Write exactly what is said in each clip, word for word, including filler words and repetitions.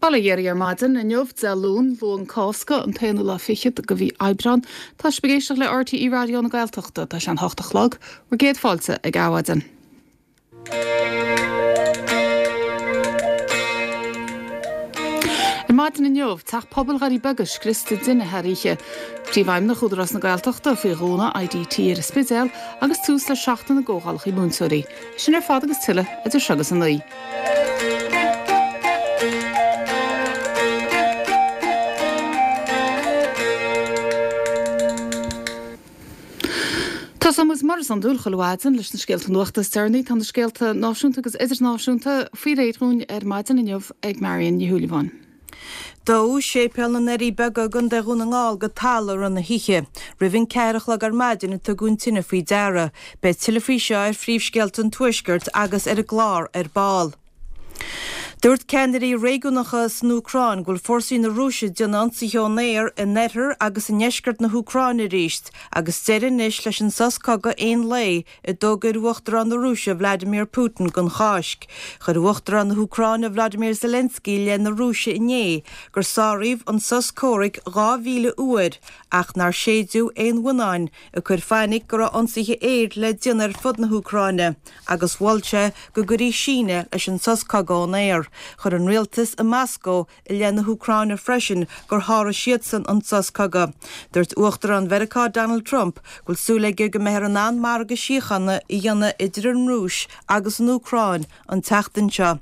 Bail ó Dhia oraibh ar maidin inniu Dé Luain Luan Cásca an t-aonú lá fichead de mhí Aibreán, Tá sibh ag éisteacht le RTÉ Raidió na Gaeltachta tá sé an hocht a chlog, bhur gcéad fáilte ag Adhmhaidin. Ar maidin inniu, teach pobail Dhoirí Beaga scriosta tine thar oíche. Príomhfheidhmeannach Údarás na Gaeltachta faoi dhúnadh IDT ar an Spidéal agus tús le seachtain na gcomhdhálacha múinteoirí. Sin ar fad agus tuilleadh idir seo agus a naoi. Tosóidh muid mar is iondúil chuile mhaidin leis na scéalta nuachta is deireanaí. Tá na scéalta náisiúnta agus idirnáisiúnta faoi réir dúinn ar maidin inniu ag Marion Ní Shúilleabháin. Dódh Séipéal na nDoirí Beaga i gContae Dhún na nGall go talamh i rith na hoíche. Roimh an ceathair a chlog ar maidin a tugadh an tine faoi deara. Beidh tuilleadh faoi seo ar phríomhscéalta an Tuaiscirt agus ar an gclár ar ball. Dúirt ceannairí réigiúnacha san Úcráin go bhfuil fórsaí na Rúise ag déanamh ionsaithe ón aer in oirthear agus i ndeisceart na hÚcráine arís agus deireadh anois leis an sos cogaidh aon lae a d'fhógair Uachtarán na Rúise Vladimir Putin don Cháisc. Chuir Uachtarán na hÚcráine Vladimir Zelensky i leith na Rúise inné gur sáraíodh an sos comhraic dhá mhíle uair ach nár séideadh aon bhuinneáin, ag cur fainic go raibh ionsaithe aeir le déanamh ar fud na hÚcráine agus mhol sé go gcuirfí síneadh leis an sos cogaidh ón aer. Chuir an rialtas i Moscó i leith na hÚcráine freisin gur sháraigh siadsan an sos cogaidh. Dúirt Uachtarán Mheiriceá Donald Trump go bhfuil súil aige go mbeifear in ann margadh síochána a dhéanamh idir an Rúis agus an Úcráin an tseachtain seo.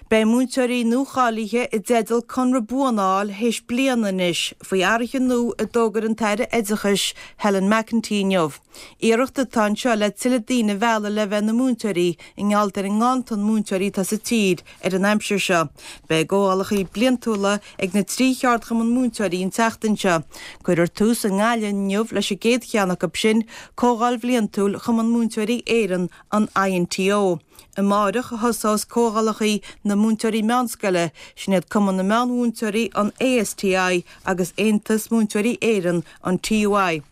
Beidh múinteoirí nuacháilithe i dteideal conradh buan a fháil théis bliana anois, faoi athruithe nua a d'fhógair an tAire Oideachais Helen McEntee inniu. Iarracht atá anseo le tuilleadh daoine a mhealladh le bheith ina múinteoirí i ngeall ar an nganntan múinteoirí atá sa tír ar an aimsir seo. Beidh comhdhálacha bliantúla ag na trí cheardchumann múinteoirí an tseachtain seo. Cuirfear tús i nGaillimh inniu leis an gcéad cheann acu sin, Comhdháil Bhliantúil Chumann Múinteoirí Éireann, an INTO. Amáireach a thosós comhdhálacha na múinteoirí meánscoile, sin iad Cumann na Meánmhúinteoirí, an ASTI, agus Aontas Múinteoirí Éireann, an TUI.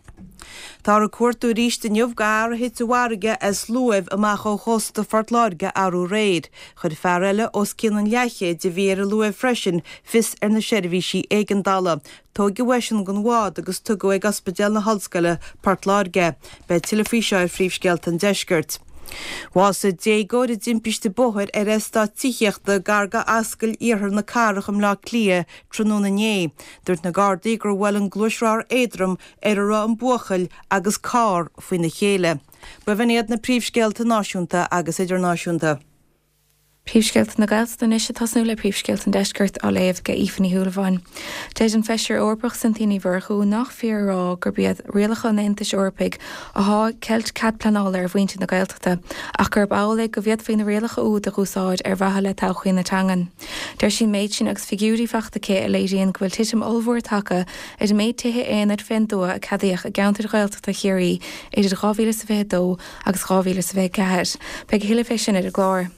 Táthar ag cuartú arís inniu do fhear a thit i bhfarraige as luaimh amach ó chósta Phort Láirge arú aréir. Chuir fear eile os cionn an leathchéid a bhí ar an luaimh freisin fios ar na seirbhísí éigeandála. Tóigeadh eisean den bhád agus tugadh ag Ospidéal na hOllscoile, Port Láirge. Beidh tuilleadh faoi seo ar Phríomhscéalta an Deiscirt. Bhásaigh déagóir i dtimpiste bóthair ar eastát tithíochta gar go Ascaill Iarthar na Cathrach i mBleá Cliath tráthnóna inné. Dúirt na Gardaí gur bhuail an gluaisrothar éadrom ar a raibh an buachaill agus carr faoina chéile. B'in iad na príomhscéalta náisiúnta agus idirnáisiúnta. Príomhscéalta na Gaeltachta anois ag tosnú le Príomhscéalta an Deiscirt á léamh ag Aoife Ní Shúilleabháin. Deir an Feisire Eorpach Cynthia Ní Mhurchú nach fíor a rá gurb iad rialacha an Aontais Eorpaigh athá ag ceilt cead pleanála ar mhuintir na Gaeltachta ach gurb amhlaidh go bhféadfaí na rialacha úd a dh'úsáid ar mhaithe le todhchaí na teangan. Deir sí an méid sin agus figiúirí fachta aici a léiríonn go bhfuil titim ollmhór tagtha ar an méid tithe aonair fén dtuath a ceadaíodh i gceantair Ghaeltachta Chiarraí idir dhá mhíle is a fiche dó agus dhá mhíle is a fiche ceathair. Beidh a thuilleadh fé sin ar an gclár.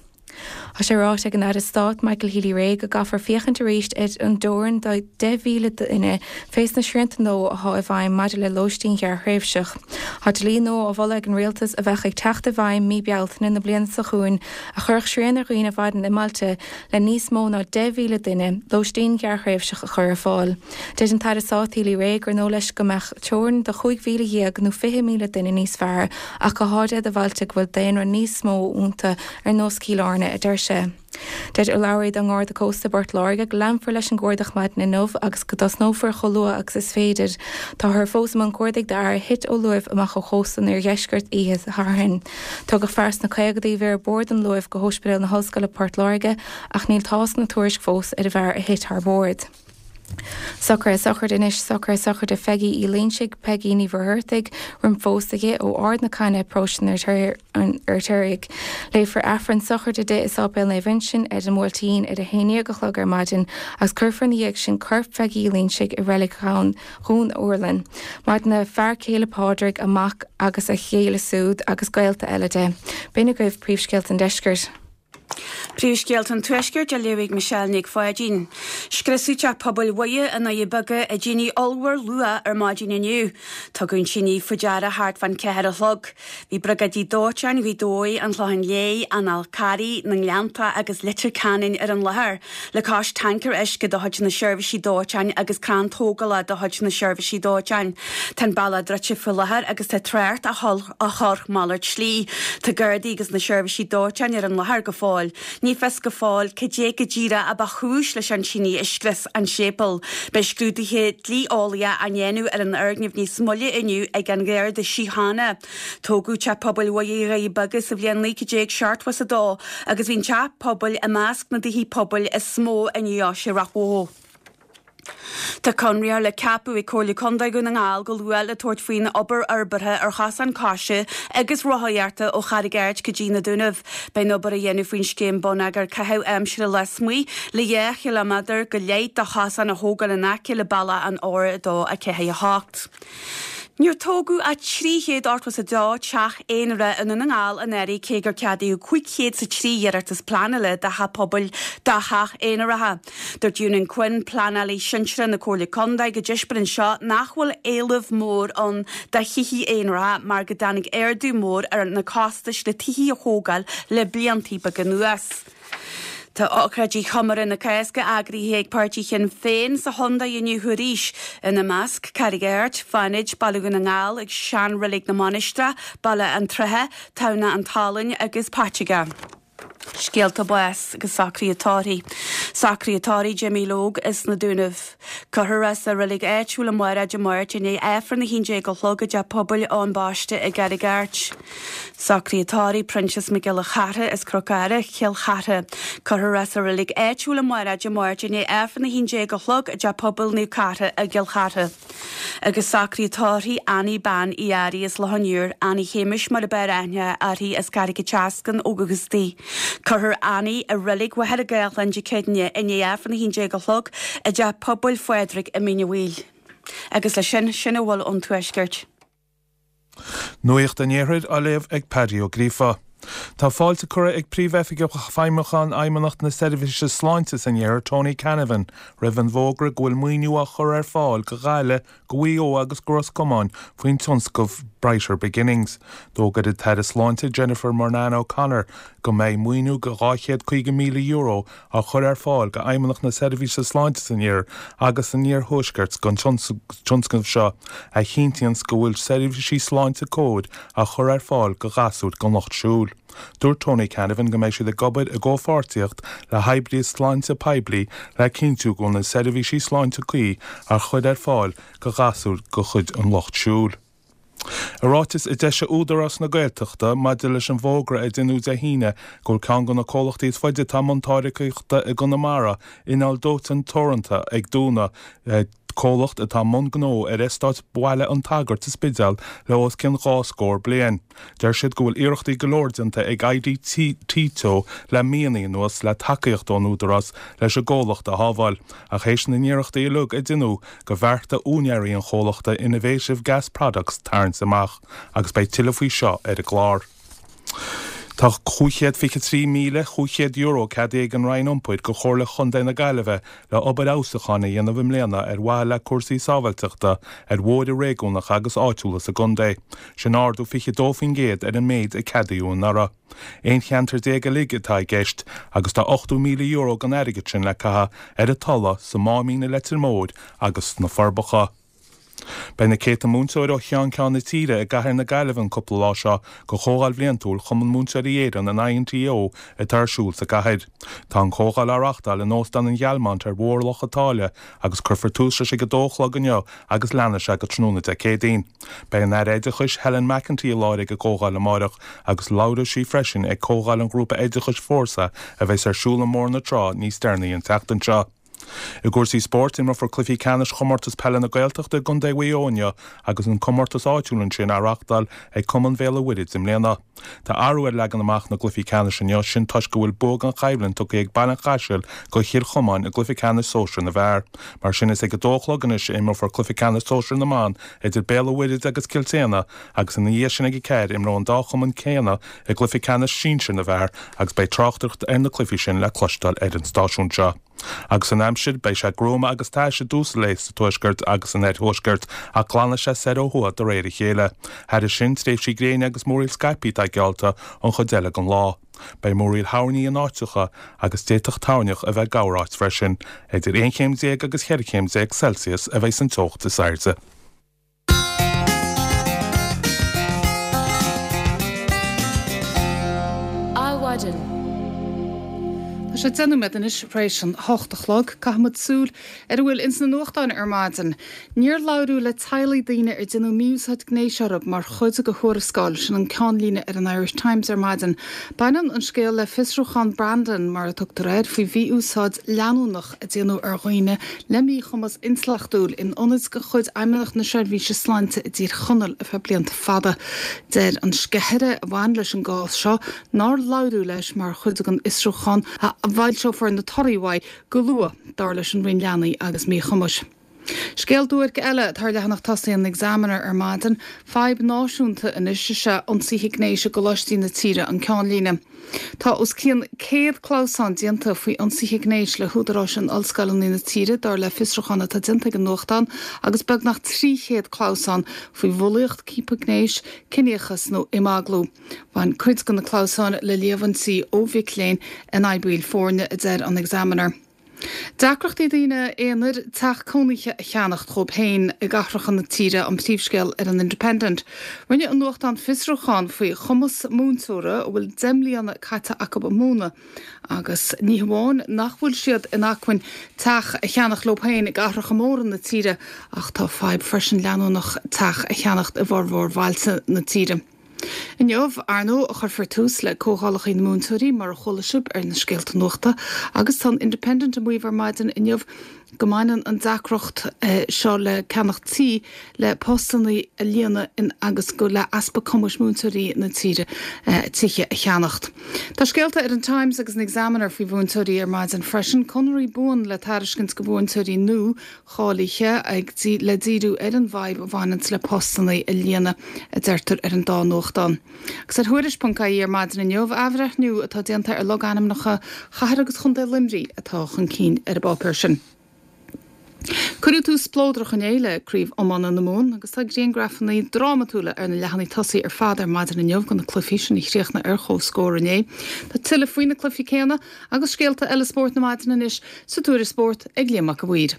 Tá sé ráite ag an Aire Stáit Michael Healy-Rae go gcaithfear féachaint arís ar an dteorainn de deich mhíle duine fés na srianta nua athá i bhfeidhm maidir le lóistín ghearrthréimhseach. Tá dlí nua á mholadh ag an Rialtas a bheadh ag teacht i bhfeidhm mí Bealtaine na bliana seo chugainn a chuirfeadh srian ar dhaoine a mhaireann i mbailte le níos mó ná deich mhíle duine lóistín ghearrthréimhseach a chur ar fáil. Deir an tAire Stáit Healy-Rae gur ndóigh leis go mbeadh teorainn de chúig mhíle dhéag nó fiche míle duine níos fearr ach go háirithe do bhailte go bhfuil daonra níos mó iontu ar nós Chill Airne, a deir sé. Deir urlabhraí don nGarda Cósta i bPort Láirge go leanfar leis an gcuardach maidin inniu agus go dtosnófar chomh luath agus is féidir. Táthar fós i mbun cuardaigh d'fhear a thit ó luaimh amach ó chósta an oirdheiscirt oíche Shathairn. Tugadh fear sna caogaidí a bhí ar bord an luaimh go hOspidéal na hOllscoile Port Láirge ach níl tásc na tuairisc fós ar an bhfear a thit thar bord. Socruithe sochraide anois, Socruithe sochraide Pheigí Uí Loingsigh, Peigí Ní Mhuircheartaigh, roim phósadh di, ó Ard na Caithne, Paróiste an Fheirtéaraigh. Léifear Aifreann sochraide di i Sáipéal Naomh Uinseann ar an mBuailtín ar a haon déag a chlog ar maidin agus cuirfear ina dhiaidh sin corp Pheigí Uí Loingsigh i Reilig Dhún Urlann. Maireann a fear céile Pádraig, a mac agus a chéile siúd agus gaolta eile di. B'in agaibh príomhscéalta an deiscirt. Príomhscéalta an Tuaiscirt á léamh ag Michelle Nic Pháidín. Scriosadh teach pobail Mhuire i nDoirí Beaga i dtine ollmhór luath ar maidin inniu. Tugadh an tine faoi deara thart fán ceathair a chlog. Bhí briogáidí dóiteáin Ghaoth Dobhair, an Chlocháin Léith, an Fhál Carraigh, na nGleannta agus Leitir Ceanainn ar an láthair, le cois tancaer uisce de chuid na seirbhísí dóiteáin agus crann tógála de chuid na seirbhísí dóiteáin. Tá an bealach druidte faoi láthair agus tá trácht á chur malairt slí. Tá Gardaí agus na seirbhísí dóiteáin ar an láthair go fóill. Ní fios go fóill cad é go díreach a ba chúis leis an tine a scrios an séipéal. Beidh scrúduithe dlí-eolaíocha á ndéanamh ar an fhoirgneamh níos moille inniu ag an Gharda Síochána. Tógadh teach pobail Mhuire i nDoirí Beaga sa bhliain naoi déag seachtó is a dó agus bhí an teach pobail i measc na dtithe pobail is mó i ndeoise Ráth Bhoth. Tá conraitheoir le ceapadh ag Comhairle Contae Dhún na nGall go luath le tabhairt faoin obair fhorbartha ar chosán coise agus rothaíochta ó Charraig Airt go dtí na Dúnaibh. Beidh an obair á dhéanamh faoin scéim bonneagair caitheamh aimsire lasmuigh le dhá chileaméadar go leith de chosán a thógáil in aice le bealach an R a dó a ceathair a hocht. Níor tógadh ach trí chéad ochtó is a dó teach aonair i nDún na nGall anuraidh cé gur ceadaíodh cúig chéad is a trí iarratas pleanála do theach pobail do theach aonaracha. Dúirt Eunan Quinn, pleanálaí sinsearach na Comhairle Contae go dtaispeánann seo nach bhfuil éileamh mór ann do thithe aonaracha mar go dtáinig ardú mór ar na costais le tithe a thógáil le blianta beaga anuas. Tá ócáidí chomóradh na Cásca eagraithe ag páirtí Shinn Féin sa chontae inniu arís, ina measc Carraig Airt, Fánaid, Baile Dhún na nGall ag Seanreilig na Mainistreach, Baile an tSratha, Tamhnach an tSalainn agus Paiteagó. Scéalta báis agus socruithe tórraimh. Socruithe tórraimh Jimmy Logue as na Dúnaibh. Cuirfear é sa reilig áitiúil amárach Dé Máirt i ndiaidh Aifreann a haon déag a chlog i dTeach Pobail Eoin Baiste i gCarraig Airt. Socruithe tórraimh Proinsias Mac Giolla Chartha as Cnoc Ara, Cill Chartha. Cuirfear é sa reilig áitiúil amárach Dé Máirt i ndiaidh Aifreann a haon déag a chlog i dTeach Pobail Naomh Cartha i gCill Chartha. Agus socruithe tórraimh Annie Bean Uí Fhearraigh as Loch an Iúir, Annie Shéamais mar ab fhearr aithne uirthi as Carraig an tSeascainn ó dhúchas di. Cuirfear Annie i reilig Mhachaire Gathlán Dé Céadaoine i ndiaidh Aifreann a haon déag a chlog i dTeach Pobail Phádraig i Mín an Mhaoil. Agus leis sin, sin a bhfuil ón Tuaisceart. Nuacht an Iarthair á léamh ag Paddy Ó Gríofa. Tá fáilte curtha ag Príomhoifigeach Feidhmiúcháin Fheidhmeannacht na Seirbhíse Sláinte san Iarthar Tony Canavan roimh an bhfógra go bhfuil maoiniú á chur ar fáil go Gaillimh, go Mhaigh Eo agus go Ros Comáin faoin tionscnamh Brighter Beginnings. D'fhógair an tAire Sláinte Jennifer Murnane O'Connor go mbeidh maoiniú go dhá chéad caoga míle euro á chur ar fáil go Fheidhmeannacht na Seirbhíse Sláinte san Iarthar agus san Iarthuaisceart don tionscnamh seo a chinntíonn go bhfuil seirbhísí sláinte cóir á chur ar fáil go ghasúir den lucht siúil. Dúirt Tony Canavan go mbeidh siad ag obair i gcomhpháirtíocht le hoibrithe sláinte poiblí le cinntiú go bhfuil na seirbhísí sláinte cuí á chur ar fáil go ghasúir de chuid an lucht siúil. I ráiteas a d'eisigh Údarás na Gaeltachta maidir leis an bhfógra a deineadh Dé hAoine go bhfuil ceann de na comhlachtaí is faide atá i mbun táirgeachta i gConamara, Inneall Dóiteáin Teoranta, ag dúnadh, comhlacht atá i mbun gnó ar eastát Bhaile an tSagairt sa Spidéal le os cionn dhá scór bliain. Deir siad go bhfuil iarrachtaí go leor déanta ag IDT Teo le míonna anuas le tacaíocht ón Údarás leis an gcomhlacht a shábháil, ach théis na n-iarrachtaí uilig a deineadh gur bheartaigh úinéirí an chomhlachta Innovative Gas Products tarraingt amach agus beidh tuilleadh faoi seo ar an gclár. Tá cúig chéad fiche trí míle cúig chéad euro ceadaithe ag an Roinn Iompair go Chomhairle Chontae na Gaillimhe le obair fheabhsúcháin a dhéanamh i mbliana ar mhaithe le cúrsaí sábháilteachta ar bhóithre réigiúnacha agus áitiúla sa gcontae. Sin ardú fiche dó faoin gcéad ar an méid a ceadaíodh anuraidh. Aon cheantar déag uilig atá i gceist agus tá ochtó míle euro den airgead sin le caitheamh ar an Tulaigh, sa Máimín i Leitir Móir agus sna Forbacha. Beidh na céadta múinteoir ó cheann ceann na tíre i gcathair na Gaillimhe an cúpla lá seo go Comhdháil Bhliantúil Chumann Múinteoirí Éireann an INTO atá ar siúl sa gcathair. Tá an chomhdháil á reáchtáil in Óstán an Ghealmont ar Bhóthar Loch an tSáile agus cuirfear tús leis ag a dó a chlog inniu agus leanfaidh sé go tráthnóna Dé Céadaoin. Beidh an Aire Oideachais Helen McEntee i láthair ag an gcomhdháil amárach agus labhróidh sí freisin ag comhdháil an ghrúpa oideachais Fórsa a bheas ar siúl i mBóthar na Trá níos deireanaí an tseachtain seo. I gcúrsaí spóirt imreofar cluichí ceannais chomórtas peile na Gaeltachta i gContae Mhaigh Eo inniu agus an comórtas áitiúil ansin á reáchtáil ag Cumann Bhéal an Mhuirthead i mbliana. Tá athrú ar leagan amach na gcluichí ceannais inniu, sin toisc go bhfuil bua gan choimhlint tugtha ag Baile an Chaisil do Chill Chomáin i gcluiche ceannais sóisir na bhfear. Mar sin is ag a dó a chlog anois a imreofar cluiche ceannais sóisir na mban idir Béal an Mhuirthead agus Cill tSéadhna agus ina dhiaidh sin ag a ceathair imreoidh an dá chumann céanna i gcluiche ceannais sinsir na bhfear agus beidh tráchtaireacht ar na cluichí sin le cloisteáil ar an stáisiún seo. Agus an aimsir, beidh sé gruama agus tais i dtús an lae sa tuaisceart agus san oirthuaisceart ach glanfaidh sé soir ó thuaidh de réir a chéile. Thairis sin, tréimhsí gréine agus múraíl scaipthe atá geallta an chuid eile den lá. Beidh múraíl thoirní in áiteacha agus d'fhéadfadh toirneach a bheith corráit freisin. Idir aon chéim déag agus cheithre chéim déag Celsius a bheidh san teocht is airde. Adhmhaidin. Tá sé deich nóiméad anois tar éis an hocht a chlog. Caithfimid súil ar a bhfuil ins na nuachtáin ar maidin. Níor labhradh le teaghlaigh daoine ar déanadh mí-úsáid gnéis orthu mar chuid de thuarascáil, sin an ceannlíne ar an Irish Times ar maidin. Baineann an scéal le fiosrúchán Brandon, mar a tugtar air, faoi mhí-úsáid leanúnach a déanadh ar dhaoine le míchumas intleachtúil in ionaid de chuid Fheidhmeannacht na Seirbhíse Sláinte i dTír Chonaill ar feadh blianta fada. Deir an sceithire a bhain leis an gcás seo nár labhradh leis mar chuid den fhiosrúchán a bhfoilseofar na torthaí uaidh go luath, dar leis an Roinn Leanaí agus Míchumais. Scéal duairc eile atá ar leathanach tosaigh an Examiner ar maidin, fadhb náisiúnta anois is ea ionsaithe gnéis i gcoláistí na tíre, an ceannlíne. Tá os cionn céad clamhsán déanta faoi ionsaithe gnéis le húdaráis in ollscoileanna na tíre, dar le fiosrúchán atá déanta ag an nuachtán, agus beagnach trí chéad clamhsán faoi bhulaíocht, ciapadh gnéis, ciníochas nó imeaglú. Bhain cuid de na clamhsáin le líomhaintí ó mhic léinn in aghaidh baill foirne, a deir an Examiner. Deacrachtaí daoine aonair teach cónaithe a cheannacht dhóibh féin i gcathracha na tíre an príomhscéal ar an Independent. Rinne an nuachtán fiosrúchán faoi chumas múinteora a bhfuil deich mbliana caite acu ag múineadh agus ní hamháin nach bhfuil siad in acmhainn teach a cheannach leo féin i gcathracha móra na tíre ach tá fadhb freisin leanúnach teach a cheannacht i bhformhór bhailte na tíre. Inniu, ar ndóigh, a chuirfear tús le comhdhálacha na múinteoirí, mar a chuala sibh ar na scéalta nuachta, agus tá an Independent ag maíomh ar maidin inniu go mbaineann an deacracht seo le ceannach tí le postanna a líonadh in agus go le easpa cumais múinteoirí na tíre tithe a cheannacht. Tá scéalta ar an Times agus an Examiner faoi mhúinteoirí ar maidin freisin, conraí buan le tairiscint do mhúinteoirí nua cháilithe ag le díriú ar an bhfadhb a bhaineanns le postanna a líonadh, a deirtear ar an dá nuachtán. Agus ar Thuairisc ponc ie ar maidin inniu, athbhreithniú atá déanta ar logainmneacha Chathair agus Chontae Luimnigh atá chun cinn ar an bpáipéar sin. Cuireadh tús spleodrach inné le Craobh Iomána na Mumhan agus tá griangrafanna drámatúla ar na leathanaigh tosaigh ar fad ar maidin inniu de na cluichí sin a chríochnaigh ar comhscór inné. Tá tuilleadh faoi na cluichí céanna agus scéalta eile spóirt na maidine anois sa Tuairisc Spóirt ag Liam Mac a' Mhaoir.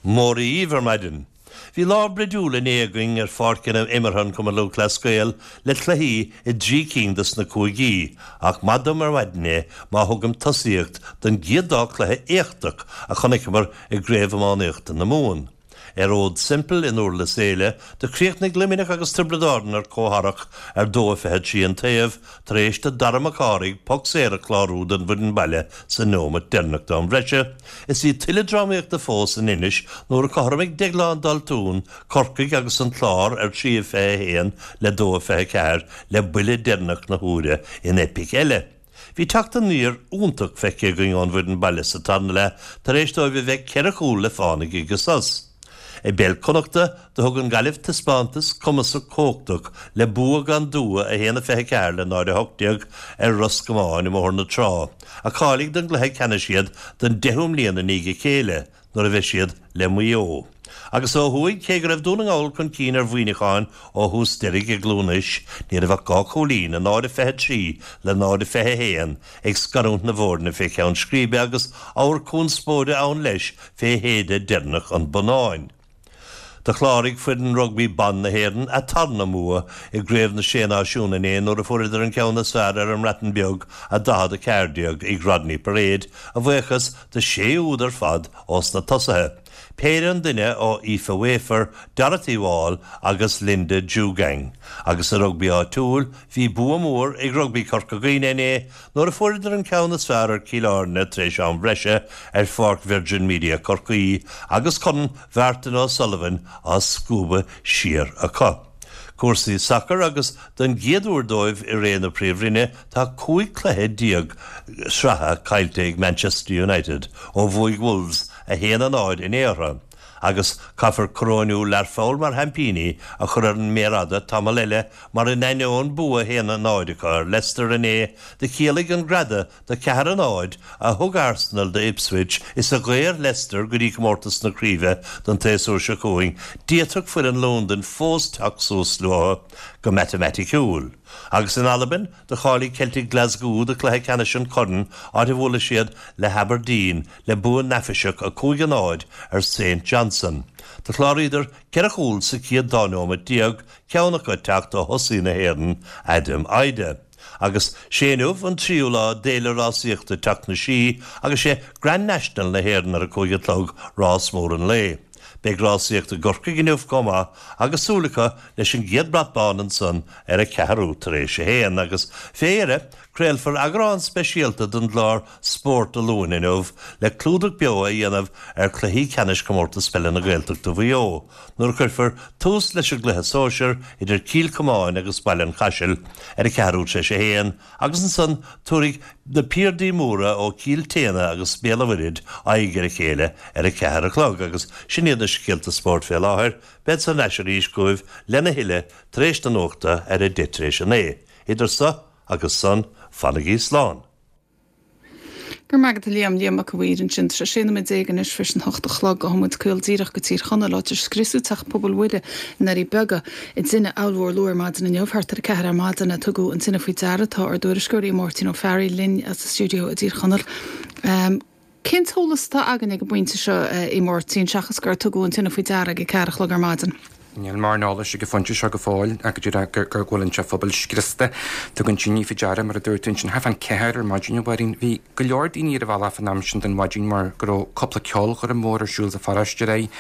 Móra dhíbh ar maidin. Bhí lá bridiúil inné againn ar pháirceanna imeartha an Chumann Lúthchleas Gael le cluichí i dtrí cinn dos na cúigí, ach maith dom ar maidin é má thugaim tosaíocht don gcéad dá chluiche éachtach a chonaiceamar i gCraobh Iománaíochta na Mumhan. Ar Fhód Semple i nDurlas Éile, do chríochnaigh Luimneach agus Tiobraid Árann ar comhtharrac ar dó a fiche trí an taobh tar éis do Dara Mac Cárthaigh poc saor a chlárú don bhfoireann baile sa neomat deireanach d'am bhreise. Is bhí tuilleadh drámaíochta fós in Inis nuair a chothromaigh Deaglán Daltún Corcaigh agus an Clár ar trí a fiche a haon le dó a fiche a ceathair le buille deireanach na huaire in eipic eile. Bhí teacht aniar iontach feicthe againn ón bhfoireann baile sa tarna leath tar éis dóibh a bheith ceithre chúl le fánaidh ag an sos. I bpeil Connachta, do thug an Ghaillimh taispeántas cumasach cumhachtach le bua gan dua a haon a fiche a ceathair le náid a hocht déag ar Ros Comáin i mBóthar na Trá, a cháiligh don gcluiche ceannais iad don deichiú mbliain i ndiaidh a chéile, nuair a bheidh siad le Maigh Eo. Agus ó thuaidh, cé go raibh Dún na nGall chun cinn ar Mhuineachán ó thús deiridh i gCluain Eois, ní raibh ach dhá chúilín, a náid a fiche a trí le náid a fiche a haon, ag scarúint na bhfoirne fé cheann scríbe agus ábhar conspóide ann leis fé shéideadh deireanach an bhonnáin. Do chláraigh foireann rugbaí ban na hÉireann a tarna mbua i gCraobh na Sé Náisiún inné nuair a fuaireadar an ceann is fearr ar an mBreatain Bheag a daichead a ceathair déag ag Rodney Parade, a bhuíochas do shé úd ar fad ós na tosaithe. péire an duine ó Aoife Wafer, Dorothy Wall agus Linda Djougang. Agus sa rugbaí áitiúil, bhí bua mór ag Rugbaí Corca Dhuibhne inné nuair a fuaireadar an ceann is fearr ar Cill Airne tar éis am breise ar Pháirc Virgin Media Corcaí agus Corn Mhartin O'Sullivan á scuabadh siar acu. Cúrsaí sacair agus don gcéad uair dóibh i ré na Príomhroinne tá cúig cluiche déag sraithe caillte ag Manchester United ó bhuaigh Wolves a haon a náid inné orthu. Agus caithfear coróinniú Learpholl mar sheaimpíní a chur ar an méar fhada tamall eile mar in ainneoin bua a haon a náid acu ar Leicester inné do chiallaigh an greadadh de ceathair a náid a thug Arsenal do Ipswich is a dhaor Leicester go dtí comórtas na craoibhe don tséasúr seo chugainn, d'fhéadfadh foireann Londain fós teacht suas leo go matamaiticiúil. Agus in Albain, do cháiligh Celtic Glasgow do chluiche ceannais an chorn áit a bhuailfidh siad le hAberdeen le bua neafaiseach a cúig a náid ar Saint Johnstone. Do chláraíodar ceithre chúl sa chéad dá nóiméad déag, ceann acu ag teacht ó thosaí na hÉireann, Adam Idah. Agus sé inniu an tríú lá d'fhéile rásaíochta Teach na Sí agus sé Grand National na hÉireann ar a cúig a chlog rás mór an lae. Beidh rásaíocht i gCorcaigh inniu chomh maith agus súil acu leis an gcéad brat bán ansan ar a ceathrú tar éis a haon agus fé dheireadh, craolfar eagrán speisialta den gclár Spórt Dé Luain inniu le clúdach beo a dhéanamh ar chluichí ceannais Chomórtas Peile na Gaeltachta Mhaigh Eo nuair a chuirfear tús leis an gcluiche sóisir idir Cill Chomáin agus Baile an Chaisil ar a ceathrú tar éis a haon agus ansan tabharfaidh na piardaí móra ó Chill tSéadhna agus Béal an Mhuirthead aghaidh ar a chéile ar a ceathair a chlog agus sin iad na scéalta spóirt fé láthair. Bead thar n-ais arís chugaibh lena thuilleadh tar éis na nuachta ar a deich tar éis a naoi. Idir so agus san, fanaigí slán. Go raibh maith agat a Liam, Liam Mac a' Mhaoir ansin. Tá sé sé nóiméad déag anois tar éis an hocht a chlog. Gabhfaidh muid caol díreach go Tír Chonaill, áit ar scriosadh teach pobail Mhuire i nDoirí Beaga i dtine ollmhór luath ar maidin inniu. Thart ar a ceathair ar maidin a tugadh an tine faoi deara. Tá ár dtuairisceoir Máirtín Ó Fearraigh linn as an stiúideo i dTír Chonaill. Cén t-eolas atá againn ag an bpointe seo, a Mháirtín, seachas gur tugadh an tine faoi deara ag a ceathair a chlog ar maidin? Níl mórán eolais ag an phointe seo go fóill ach go díreach gur go bhfuil an teach pobail scriosta. Tugadh an tine faoi deara mar a dúirt tú ansin thart fán ceathair ar maidin a Mháirín. Bhí go leor daoine ar an bhealach an am sin den mhaidin mar go raibh cúpla ceolchoirm mhór ar siúl sa pharóiste aréir.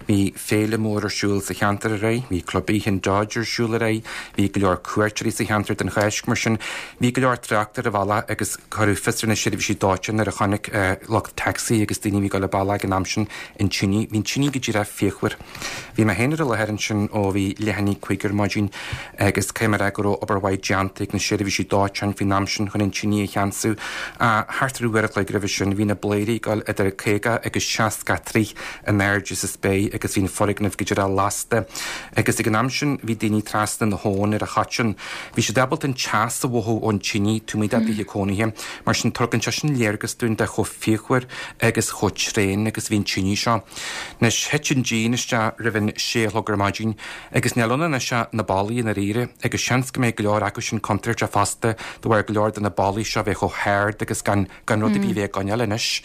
Bhí féile mór ar siúl sa cheantar aréir. Bhí Club Oíche an Dodge ar siúl aréir. Bhí go leor cuairteoirí sa cheantar don Cháisc mar sin. Bhí go leor trácht ar an bhealach agus cuireadh fios ar na seirbhísí dóiteáin nuair a chonaic lucht tacsaí agus daoine a bhí ag dul an bealach ag an am sin an tine. Bhí an tine go díreach fíochmhar. Bhí mé féin ar an láthair ansin ó bhí leath i ndiaidh a cúig ar maidin agus caithfidh mé a rá go raibh obair mhaith déanta ag na seirbhísí dóiteáin faoin am sin chun an tine a cheansú. Thart ar uair a chloig roimhe sin bhí na blairí ag dul idir caoga agus seasca troigh in airde sa spéir agus bhí an foirgneamh go díreach lasta. Agus ag an am sin bhí daoine trasna na habhann ar an Choiteann. Bhí siad ábalta an teas a mhothú ón tine taobh amuigh dá dtithe cónaithe. Mar sin tugann sé sin léargas dúinn de chomh fíochmhar agus chomh tréan agus a bhí an tine seo. Anois thit an díon isteach roimh an sé a chlog ar maidin agus níl ann anois ach na ballaí i ndáiríre agus seans go mbeidh go leor acu sin contúirteach fosta de bharr go leor de na ballaí seo bheith chomh hard agus gan gan rud ar bith a bheith á gcoinneáil anois.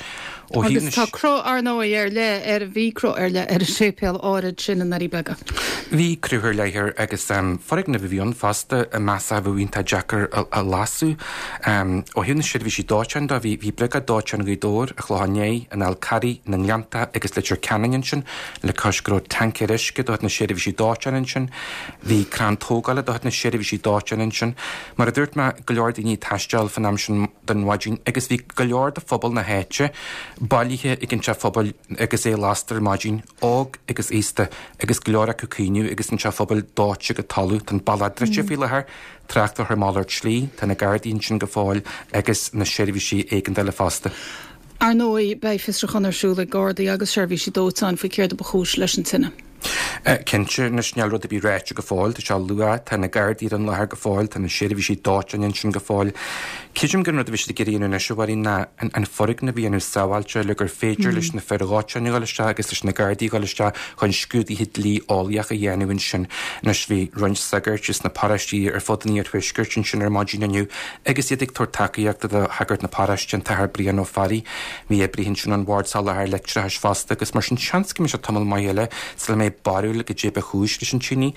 Ó thaobh Agus na tá cruth, ar ndóigh, ar leith ar, bhí cruth ar leith ar an séipéal áirid sin i nDoirí Beaga. Bhí cruth ar leith air agus foirgneamh a bhí ann fosta a measadh a bheadh iontach deacair a lasadh. Ó thaobh na seirbhísí dóiteáin de, bhí Briogáid Dóiteáin Ghaoth Dobhair, an Chlocháin Léith, an Fhál Carraigh, na nGleannta agus Leitir Ceanainn ansin, le cois go raibh tancaeir uisce de chuid na seirbhísí dóiteáin ansin. Bhí crann tógála de chuid na seirbhísí dóiteáin ansin. Mar a dúirt mé, go leor daoine ag taisteal fan am sin den mhaidin agus bhí go leor de phobal na háite bailithe ag an teach phobail agus é lasta ar maidin, óg agus aosta, agus go leor acu ag caoineadh agus an teach phobail dóite go talamh. Tá an bealach druidte faoi láthair, trácht á chur malairt slí, tá na Gardaí ansin go fóill agus na seirbhísí éigeandála fosta. Ar ndóigh, beidh fiosrúchán ar siúl ag Gardaí agus seirbhísí dóiteáin faoi céard a ba chúis leis an tine. Cinnte, anois níl rud ar bith ráite go fóill, tá sé luath, tá na Gardaí ar an láthair go fóill, tá na seirbhísí dóiteáin ansin go fóill. Creidim gur an rud a bhí siad ag iarraidh a dhéanamh anois, a Mháirín, ná an foirgneamh a dhéanamh sábháilte le gur féidir leis na fir dhóiteáin a dhul isteach agus leis na Gardaí a dhul isteach chun scrúduithe dlí-eolaíoch a dhéanamh ansin. Anois bhí roinnt sagairt as na paróistí ar fud an iarthuaiscirt ansin ar maidin inniu agus iad ag tabhairt tacaíochta do shagart na paróiste, an tAthair Brian Ó Fearraigh. Bhí oibrithe ansin ón Bhord Soláthair Leictreachais fosta agus mar sin seans go mbeidh sé tamall maith eile sula mbeidh barúil barúil goidé ba chúis leis an tine.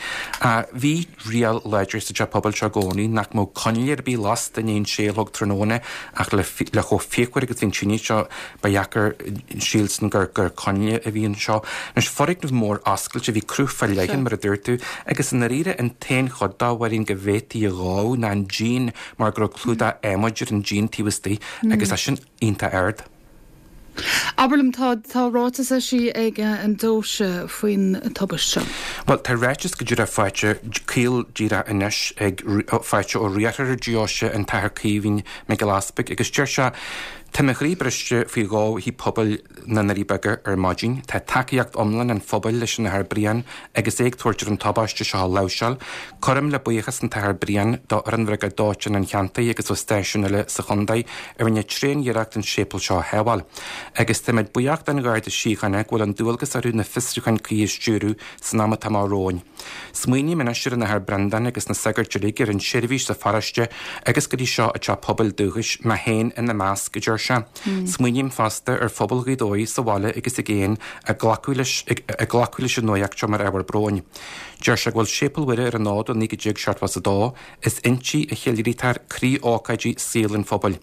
Bhí riail láidir sa teach pobail seo i gcónaí nach mbeadh coinne ar bith lasta i ndiaidh a sé a chlog tráthnóna ach le chomh fíochmhar agus bhí an tine seo ba dheacair sílstin gur gur coinne a bhí anseo. Anois foirgneamh mór oscailte bhí cruth fá leith mar a dúirt tú agus i ndáiríre an t-aon chuid dá bhfuil go bhféadfaí a dhó ná an díon mar go raibh clúdach adhmaid ar an díon taobh istigh agus é sin iontach ard. Abair liom, tá tá ráiteas eisithe ag an deoise faoin tubaiste seo. Bhuel, tá ráiteas go díreach faighte caol díreach anois ag faighte ó riarthóir an deoise an tAthair Caoimhín Mac Giolla Easpaig agus deir sé Tá mo chroí briste faoi dhó Thigh Pobail na nDoirí Beaga ar maidin. Tá tacaíocht iomlán an phobail leis an Athair Brian agus é ag tabhairt ar an tubaiste seo a láimhseáil. Cuirim le buíochas an tAthair Brian do fhoireann Bhriogáid Dóiteáin an cheantair agus ó stáisiúin eile sa chontae a rinne tréan-iarracht an séipéal seo a shábháil. Agus táimid buíoch den Gharda Síochána go bhfuil an dualgas orthu na fiosrúcháin cuí a stiúradh san am atá amach romhainn. Smaoiním anois ar an Athair Breandán agus na sagairt uilig ar an seirbhís sa pharóiste agus go dtí seo i dteach pobail dúchais, mé féin ina measc, a deir sé. Smaoiním fosta ar phobal Ghaoth Dobhair sa bhaile agus i gcéin ag glacadh leis ag glacadh leis an nuacht seo mar ábhar bróin. Deir sé go bhfuil Séipéal Mhuire ar an fhód ó naoi déag seachtó a dó, is inti a cheiliúraítear croí-ócáidí saol an phobail.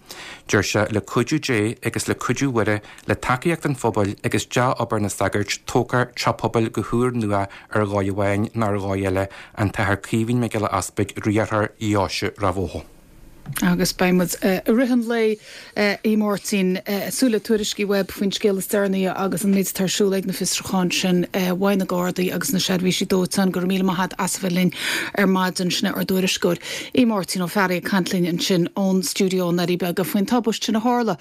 Deir sé, le cuidiú Dé agus le cuidiú Mhuire, le tacaíocht an phobail agus dea-obair na sagart, tógfar teach pobail go húrnua ar dhóigh amháin nó ar dhóigh eile, an tAthair Caoimhín Mac Giolla Easpaig, Riarthóir Dheoise Ráth Bhoth. Agus beidh muid i rith an lae, a Mháirtín, ag súil le tuairiscí uaibh faoin scéal is deireanaí agus an méid atá ar siúl ag na fiosrúcháin sin uaidh na Gardaí agus na seirbhísí dóiteáin. Go raibh míle maith agat as a bheith linn ar maidin. Sin é ár dtuairisceoir, a Mháirtín Ó Fearraigh ag caint linn ansin ón stiúideo i nDoirí Beaga faoin tubaist sin a tharla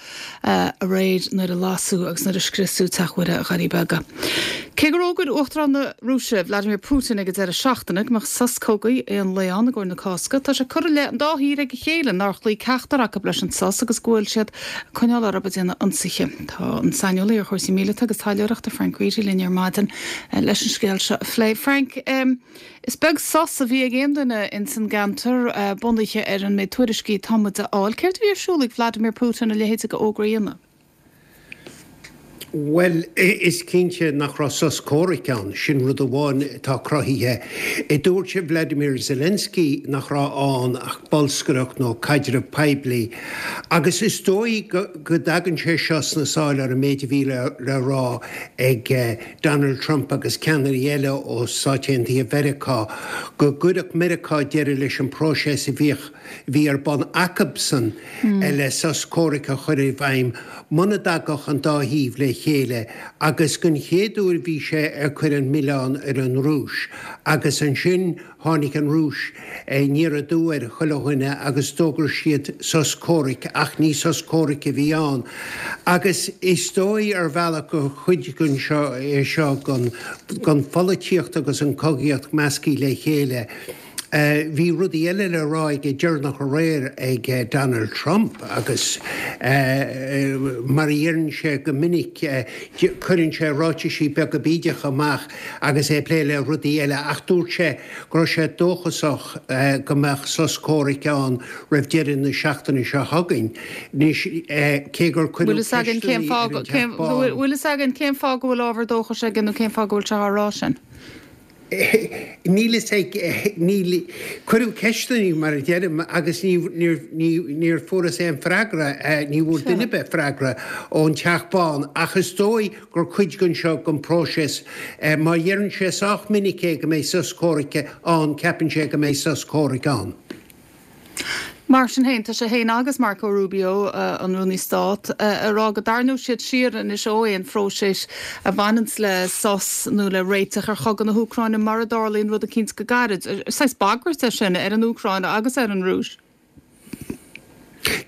aréir nuair a lasadh agus nuair a scriosadh Teach Mhuire Dhoirí Beaga. Cé gur fhógair Uachtarán na Rúise, Vladimir Putin ag an deireadh seachtaine go mbeadh sos cogaidh aon lae ann i gcomhair na Cásca, tá sé curtha i leith an dá thír ag a chéile nár chloígh ceachtar acu leis an sos agus go bhfuil siad ag coinneáil orthu ag déanamh ionsaithe. Tá an saineolaí ar chúrsaí míleata agus taidhleoireachta Frank Reidy linn ar maidin leis an scéal seo a phlé. Frank, is beag sos a bhí ag aon duine ins an gceantar bunaithe ar an méid tuairiscí atá muid a fháil. Céard a bhí ar siúl ag Vladimir Putin a leithéid de fhógra a dhéanamh? Bhuel, is cinnte nach raibh sos comhraic ann, sin rud amháin atá cruthaithe. Dúirt Vladimir Zelensky nach raibh ann ach bolscaireacht nó caidreamh poiblí. Agus is dóigh go dtagann sé seo sna sáil ar an méid a bhí le rá ag Donald Trump agus ceannairí eile ó Stáit Aontaithe Mheiriceá, go gcuirfeadh Meiriceá deireadh leis an bpróiseas a bhíodh bhí ar bun acubsan le sos comhraic a chur i bhfeidhm muna dtagadh an dá thaobh le chéile agus den chéad uair bhí sé ag cur an milleán ar an Rúis agus ansin tháinig an Rúis aniar aduaidh ar chuile dhuine agus d'fhógair siad sos comhraic ach ní sos comhraic a bhí ann agus is dóigh ar bhealach gur chuid den seo é seo den pholaitíocht agus an cogaíocht measctha le chéile. Bhí rudaí eile le rá aige deireanach aréir ag Donald Trump agus mar a dheireann sé go minic cuireann sé ráitisí beaga bídeacha amach agus é ag plé le rudaí eile ach dúirt sé go raibh sé dóchasach go mbeadh sos comhraic ann roimh deireadh na seachtaine seo chugainn. Anois cé gur cuireadh ceisteanna ar an Teach Bán. Bhfuil fhios againn cén fáth go bhfuil ábhar dóchais aige nó cén fáth go bhfuil sé á rá sin? Níl fhios ag, níl, cuireadh ceisteanna mar a deirim agus ní, níor, ní, níor fuarthas aon freagra, ní bhfuair duine ar bith freagra ón Teach Bán ach is dóigh gur cuid den seo den próiseas. Má dheireann sé sách minic é go mbeidh sos comhraic ann, ceapann sé go mbeidh sos comhraic ann. Mar sin féin, tá sé féin agus Marco Rubio, an Rúnaí Stáit, ag rá go dtarraingeoidh siad siar anois ó aon phróiseas a bhaineanns le sos nó le réiteach ar chogadh na hÚcráine mura dtarlaíonn rud eicínt go gairid. Saghas bagairt é sin ar an Úcráin agus ar an Rúis.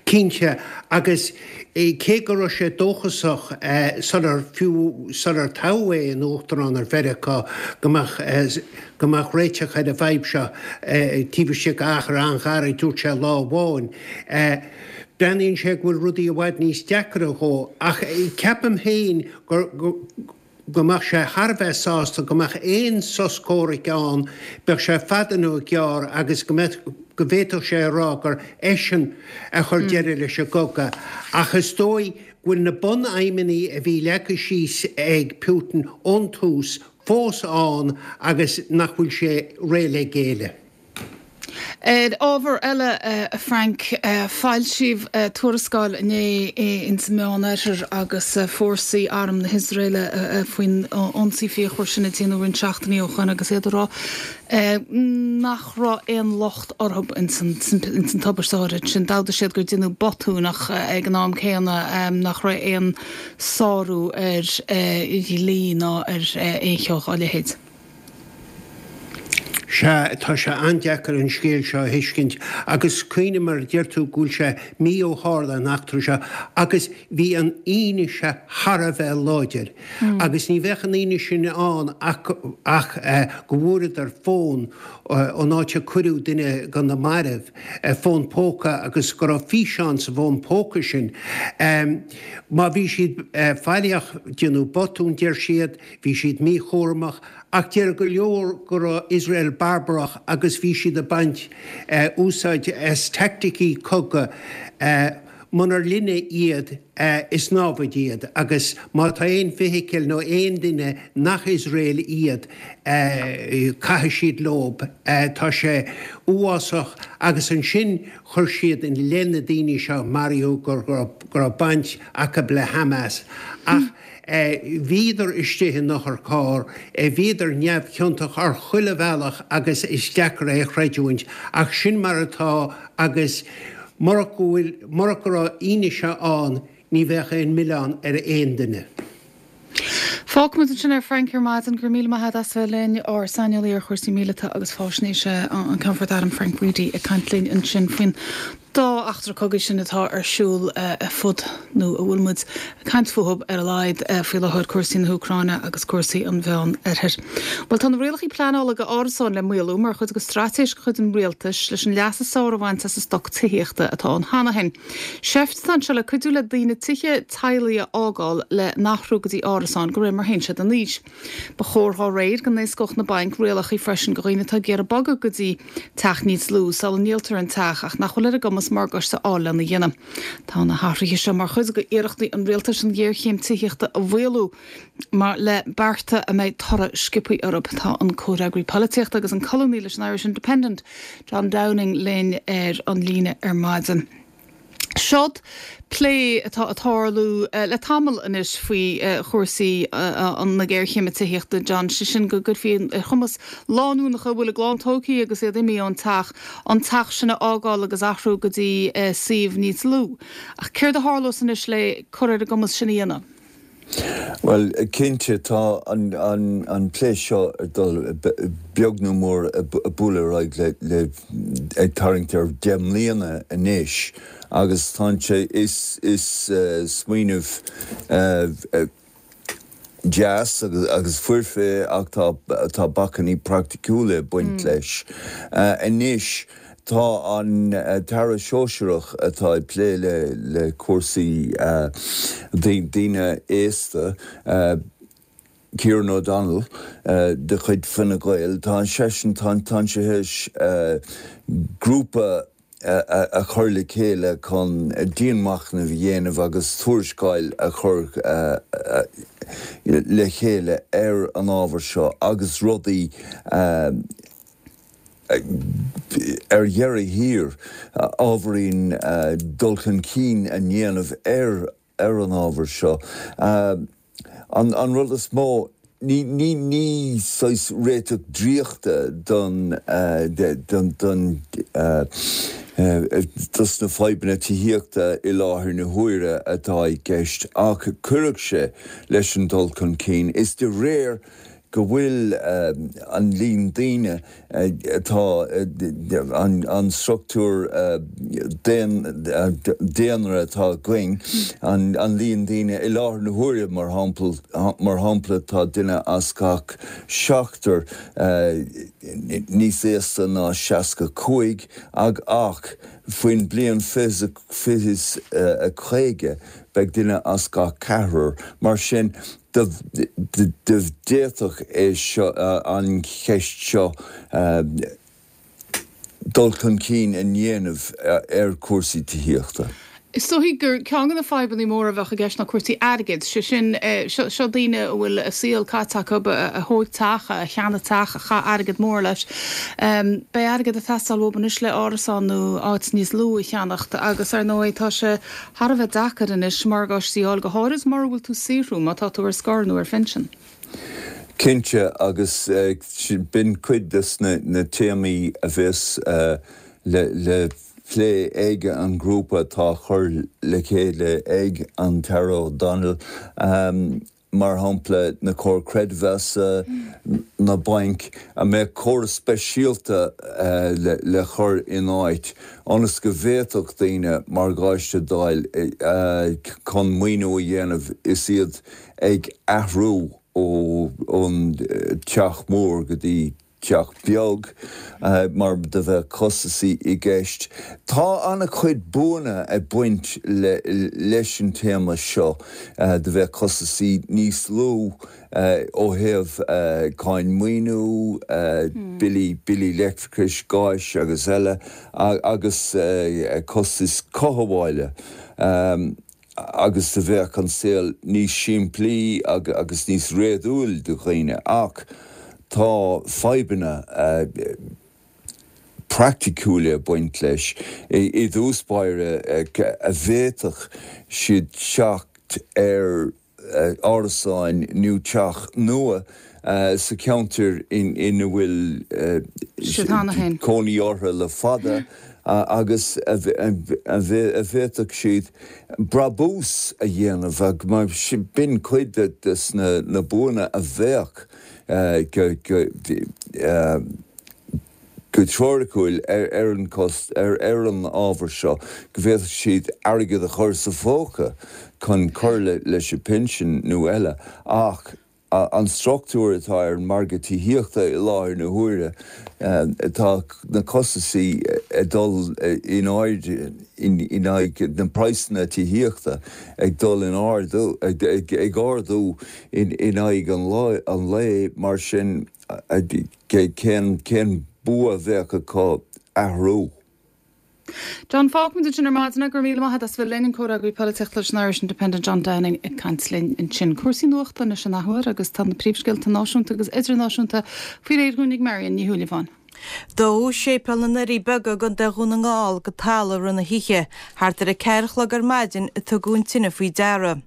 Cinnte, agus cé go raibh sé dóchasach sular, fiú sular toghadh é ina Uachtarán ar Mheiriceá, go mbeadh go mbeadh réiteach ar an bhfadhb seo taobh istigh d'achar an-ghairid, dúirt sé lá amháin. Breathnaíonn sé go bhfuil rudaí i bhfad níos deacra dhó, ach ceapaim féin gur go mbeadh sé thar a bheith sásta go mbeadh aon sos comhraic ann, bíodh sé fada nó gearr, agus go mbeadh, go bhféadfadh sé a rá gur eisean a chuir deireadh leis an gcogadh. Ach is dóigh go bhfuil na bunaidhmeanna a bhí leagtha síos ag Putin ón tús fós ann agus nach bhfuil sé réidh le géilleadh. Ar ábhar eile, a Frank, foilsíodh tuarascáil inné ins an Meánoirthear agus fórsaí arm na hIosraeile faoin ionsaí fíochmhar sin a déanadh roinnt seachtainí ó shoin agus iad ag rá nach raibh aon locht orthu ins an tubaiste áirid sin. D'admhaigh siad gur deineadh botún ach ag an am céanna nach raibh aon sárú ar dhlí ná ar aon cheo dá leithéid. Sea, tá sé an-deacair an scéal seo a thuiscint agus cuimhnigh mar a deir tú go bhfuil sé mí ó tharla an eachtra seo agus bhí an fhianaise thar a bheith láidir agus ní bheadh an fhianaise sin ann ach ach go bhfuaireadar fón ón áit a cuireadh duine de na mairbh, fón póca agus go raibh físeán sa bhfón póca sin. Má bhí siad faillíoch, déanadh botún, deir siad, bhí siad míchúramach. Ach deir go leor go raibh Iosrael barbarach agus bhí siad ag baint úsáid as teaicticí cogaidh. Munar linne iad, is námhaid iad agus má tá aon feithicil nó aon duine nach Iosrael iad, caithfidh siad leob. Tá sé uafásach agus ansin chuir siad i leith na daoine seo a maraíodh go raibh baint acu le Hamas. Ach. Bhíodar istigh in otharcharr, bhíodar neamhchiontach ar chuile bhealach agus is deacair é a chreidiúint ach sin mar atá agus murach go bhfuil, murach go raibh fhianaise ann ní bheadh aon mhilleán ar aon duine. Fágfaimid ansin é Frank ar maidin. Go raibh míle maith agat as bheith linn, ár saineolaí ar chúrsaí míleata agus faisnéise, an Ceannfort Airm Frank Reidy ag caint linn ansin faoin dá eachtra cogaidh sin atá ar siúl ar fud, nó a bhfuil muid ag caint fúthu ar a laghad faoi láthair, cúrsaí na hÚcráine agus cúrsaí an Mheán Oirthir. Bhuel, tá na rialacha pleanála do árasáin le maolú mar chuid de straitéis de chuid an rialtais leis an leas is fearr a bhaint as an stoc tithíochta atá ann cheana féin. Seift atá anseo le cuidiú le daoine tithe teaghlaigh a fhágáil le n-athrú go dtí árasáin de réir mar théann siad in aois. Ba chóir dá réir go n-éascódh na bainc rialacha freisin do dhaoine atá ag iarraidh bogadh go dtí teach níos lú sula ndíoltar an teach ach nach bhfuil ar a gcumas morgáiste a fháil lena dhéanamh. Tá na hathruithe seo mar chuid d'iarrachtaí an rialtais an ghéarchéim tithíochta a mhaolú mar le bearta a mbeidh toradh sciobtha orthu. Tá an comhfhreagraí polaitíochta agus an colúnaí leis an Irish Independent, John Downing linn ar an líne ar maidin. Seod plé atá ag tarlú le tamall anois faoi chúrsaí na géarchéime tithíochta, John, sé sin go gcuirfí ar chumas lánúineacha a bhfuil a gclann tógtha agus iad imithe ón teach, an teach sin a fhágáil agus athrú go dtí suíomh níos lú. Ach céard a tharlós anois le cur ar a gcumas sin a dhéanamh? Bhuel, cinnte, tá an plé seo ag dul beag nó mór ag bualadh ar aghaidh le ag tarraingt ar deich mbliana anois agus tá sé, is smaoineamh deas agus foirfe é ach tá bacainní praiticiúla ag baint leis. Anois tá an tAire Sóisearach atá ag plé le cúrsaí daoine aosta, Kieran O'Donnell de chuid Fine Gael, tá seisean, tá sé théis grúpa a chur le chéile chun dianmhachnamh a dhéanamh agus tuarascáil a chur le chéile ar an ábhar seo agus rudaí ar dheireadh thiar ábhairín dul chun cinn a dhéanamh ar ar an ábhar seo. An rud is mó, ní ní ní saghas réiteach draíochta don don don dos na fadhbanna tithíochta i láthair na huaire atá i gceist ach cuirfidh sé leis an dul chun cinn. Is de réir go bhfuil an líon daoine atá, an struchtúr daonra atá againn, an líon daoine i láthair na huaire, mar shampla, tá duine as gach seachtar níos aosta ná seasca cúig ach faoin bliain fiche is a caoga beidh duine as gach ceathrar. Mar sin, d'fhéadfadh é seo, an cheist seo dul chun cinn a dhéanamh ar chúrsaí tithíochta. Is dóigh gur ceann de na fadhbanna móra a bheadh i gceist ná cúrsaí airgid, sé sin seo daoine a bhfuil a saol caite acu a thóg teach, a cheannaigh teach, a chaith airgead mór leis. Beidh airgead ag teastáil uathu anois le árasán nó áit níos lú a cheannacht agus ar ndóigh tá sé thar a bheith deacair anois morgáistí a fháil, go háirid mura bhfuil tú ag saothrú, má tá tú ar scor nó ar phinsean. Cinnte, agus b'in cuid des na téamaí a bheas le plé ag an ngrúpa atá á chur le chéile ag an tAire O'Donnell, mar shampla na comhair creidmheasa, na bainc, an mbeadh córas speisialta le chur in áit ionas go bhféadfadh daoine morgáiste d'fháil chun maoiniú a dhéanamh is iad ag athrú ón teach mór go dtí teach beag mar do bheadh costasaí i gceist. Tá an-chuid buanna ag baint leis an téama seo, do bheadh costasaí níos lú ó thaobh cáin maoiniú, billí, billí leictreachais, gáis agus eile, agus costais cothabhála. Agus do bheadh an saol níos simplí agus níos réadúil do dhaoine. Ach tá fadhbanna praiticiúla ag baint leis. I dtús báire, a bhféadfadh siad teacht ar árasáin nó teach nua sa cheantar ina bhfuil cónaí orthu le fada agus a bhféadfadh siad brabús a dhéanamh mar b'in cuid de na buanna a bheadh go go teoiriciúil ar an cost ar an ábhar seo go bhféadfadh siad airgead a chur sa phóca chun cur leis an bpinsean nó eile ach an struchtúr atá ar an margadh tithíochta i láthair na huaire tá na costasaí ag dul in airde in aghaidh na praghsanna tithíochta ag dul in ardú ag ardú in aghaidh an lae mar sin cén cén bua a bheadh acu athrú. John, Fágfaimid ansin ar maidin. Go raibh míle maith agat as bheith linn, an comhfhreagraí polaitíochta leis an Irish Independent John Downing ag caint linn ansin. Cúrsaí nuachta anois an athuair agus tá na príomhscéalta náisiúnta agus idirnáisiúnta faoi réir dhúinn ag Marion Ní Shúilleabháin. Dódh Séipéal na nDoirí Beaga i gContae Dhún na nGall go talamh roimh na hoíche. Thart ar a ceathair a chlog ar maidin a tugadh an tine faoi deara.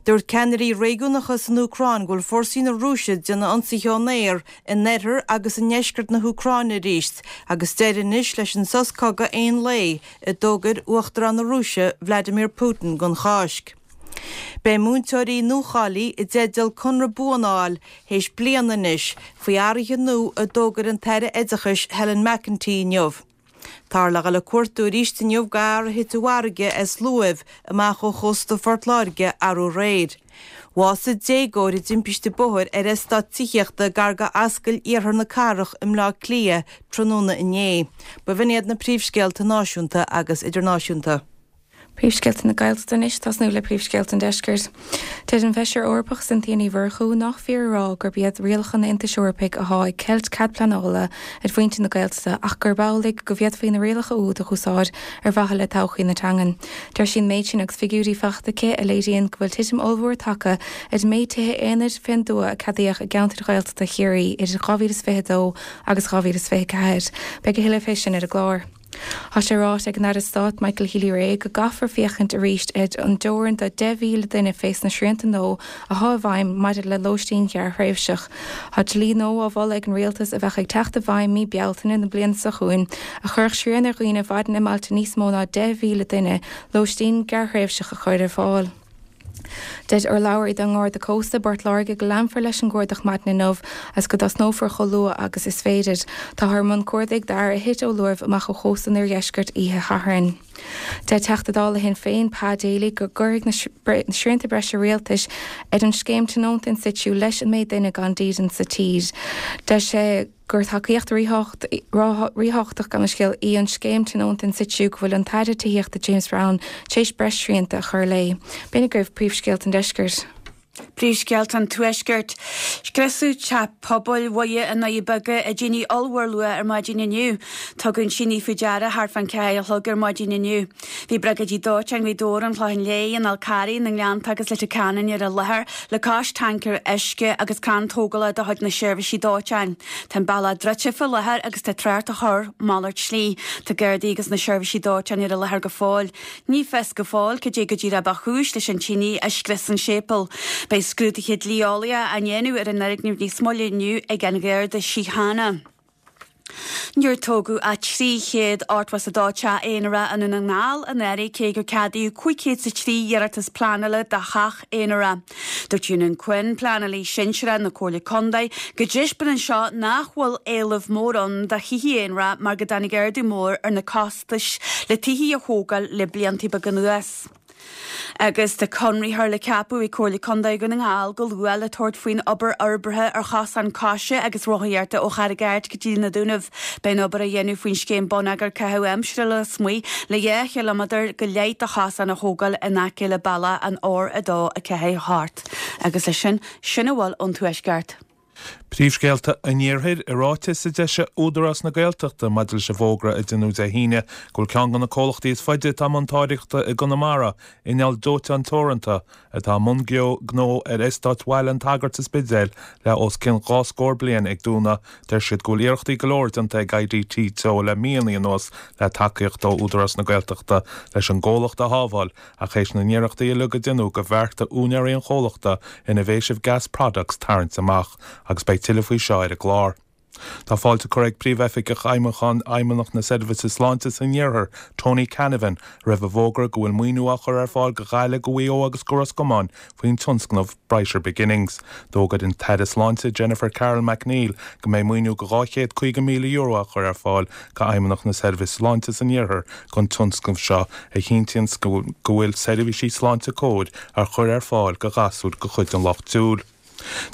Dúirt ceannairí réigiúnacha san Úcráin go bhfuil fórsaí na Rúise ag déanamh ionsaithe ón aer in oirthear agus i ndeisceart na hÚcráine arís agus deireadh anois leis an sos cogaidh aon lae a d'fhógair Uachtarán na Rúise Vladimir Putin don Cháisc. Beidh múinteoirí nuacháilithe i dteideal conradh buan a fháil théis bliana anois faoi athruithe nua a d'fhógair an tAire Oideachais Helen McEntee inniu. Táthar le dhul ag cuartú arís inniu do fhear a thit i bhfarraige as luamh amach ó chósta Phort Láirge arú aréir. Bhásaigh déagóir i dtimpiste bóthair ar eastát tithíochta gar go Ascaill Iarthar na Cathrach i mBleá Cliath tráthnóna inné. B'in iad na príomhscéalta náisiúnta agus idirnáisiúnta. Príomhscéalta na Gaeltachta anois, tosnú le príomhscéalta an Deiscirt. Deir an Feisire Eorpach Cynthia Ní Mhurchú nach fíor a rá gurb iad rialacha an Aontais Eorpaigh athá ag ceilt cead pleanála ar mhuintir na Gaeltachta ach gurb amhlaidh go bhféadfaí na rialacha úd a dh'úsáid ar mhaithe le todhchaí na teangan. Deir sí an méid sin agus figiúirí fachta aici a léiríonn go bhfuil titim ollmhór tagtha ar an méid tithe aonair fén dtuath a ceadaíodh i gceantair Ghaeltachta Chiarraí idir dhá mhíle is fiche a dó agus dhá mhíle is fiche a ceathair. Beidh a thuilleadh fé sin ar an gclár. Tá sé ráite ag an Aire Stáit Michael Healy-Rae go gcaithfear féachaint arís ar an dteorainn de deich mhíle duine fés na srianta nua athá i bhfeidhm maidir le lóistín ghearrthréimhseach. Tá dlí nua á mholadh ag an Rialtas a bheadh ag teacht i bhfeidhm mí Bealtaine na bliana seo chugainn a chuirfeadh srian ar dhaoine a mhaireann i mbailte níos mó ná deich mhíle duine lóistín gearrthréimhseach a chur ar fáil. Deir urlabhraí don nGarda Cósta i bPort Láirge go leanfar leis an gcuardach maidin inniu agus go dtosnófar chomh luath agus is féidir. Táthar i mbun cuardaigh d'fhear a thit ó luamh amach ó chósta an oirdheiscirt oíche Shathairn. Deir Teachta Dála Shinn Féin, Pa Daly, go gcuirfidh na srianta breise rialtais ar an scéim tionónta in situ leis an méid duine gan dídean sa tír. Deir sé gur tacaíocht ríthábhachtach gabh mo leithscéal í an scéim tionónta in situ go bhfuil an tAire Tithíochta James Browne tar éis breis srianta a chur léi. B'in agaibh príomhscéalta an deiscirt. Príomhscéalta an Tuaiscirt. Scriosadh teach pobail Mhuire i nDoirí Beaga i dtine ollmhór luath ar maidin inniu. Tugadh an tine faoi deara thart fán ceathair a chlog ar maidin inniu. Bhí briogáidí dóiteáin Ghaoth Dobhair, an Chlocháin Léith, an Fhál Carraigh, na nGleannta agus Leitir Ceanainn ar an láthair le cois tancaer uisce agus crann tógála de chuid na seirbhísí dóiteáin. Tá an bealach druidte faoi láthair agus tá trácht á chur malairt slí. Tá Gardaí agus na seirbhísí dóiteáin ar an láthair go fóill. Ní fios go fóill cad é go díreach ba chúis leis an tine a scrios an séipéal. Beidh scrúduithe dlí-eolaíocha á ndéanamh ar an fhoirgneamh níos moille inniu ag an Gharda Síochána. Níor tógadh ach trí chéad ochtó is a dó teach aonarach i nDún na nGall anuraidh cé gur ceadaíodh cúig chéad is a trí iarratas pleanála do theach aonarach. Dúirt Eunan Quinn, pleanálaí sinsearach na Comhairle Contae, go dtaispeánann seo nach bhfuil éileamh mór ann do thithe aonarach mar go dtáinig ardú mór ar na costais le tithe a thógáil le blianta beaga anuas. Agus tá conraitheoir le ceapadh ag Comhairle Contae Dhún na nGall go luath le tabhairt faoin obair fhorbartha ar chosán coise agus rothaíochta ó Charraig Airt go dtí na Dúnaibh. Beidh an obair á dhéanamh faoin scéim Bonneagar Caitheamh Aimsire Lasmuigh le dhá chileamadar go leith de chosán a thógáil in aice le bealach an R a dó a ceathair hocht. Agus leis sin, sin a bhfuil ón Tuaisceart. Príomhscéalta an Iarthair i ráiteas a d'eisigh Údarás na Gaeltachta maidir leis an bhfógra a deineadh Dé hAoine go bhfuil ceann de na comhlachtaí is faide atá i mbun táirgeachta i gConamara, Inneall Dóiteáin Teoranta, atá i mbun gnó ar eastát Bhaile an tSagairt sa Spidéal le os cionn dhá scór bliain ag dúnadh. Deir siad go bhfuil iarrachtaí go leor déanta ag I D T Teo le míonna anuas le tacaíocht ó Údarás na Gaeltachta leis an gcomhlacht a shábháil ach théis na n-iarrachtaí uilig a deineadh gur bheartaigh úinéirí an chomhlachta Innovative Gas Products tarraingt amach agus beidh tuilleadh faoi seo ar an gclár. Tá fáilte curtha ag Príomhoifigeach Fheidhmiúcháin Fheidhmeannacht na Seirbhíse Sláinte san Iarthar, Tony Canavan, roimh an bhfógra go bhfuil maoiniú á chur ar fáil go Gaillimh, go Mhaigh Eo agus go Ros Comáin faoin tionscnamh Brighter Beginnings. D'fhógair an tAire Sláinte Jennifer Carroll MacNeill go mbeidh maoiniú go dhá chéad caoga míle euro á chur ar fáil go Fheidhmeannacht na Seirbhíse Sláinte san Iarthar don tionscnamh seo a chinntíonn go bhfuil seirbhísí sláinte cóir á chur ar fáil go ghasúir de chuid an lucht siúil.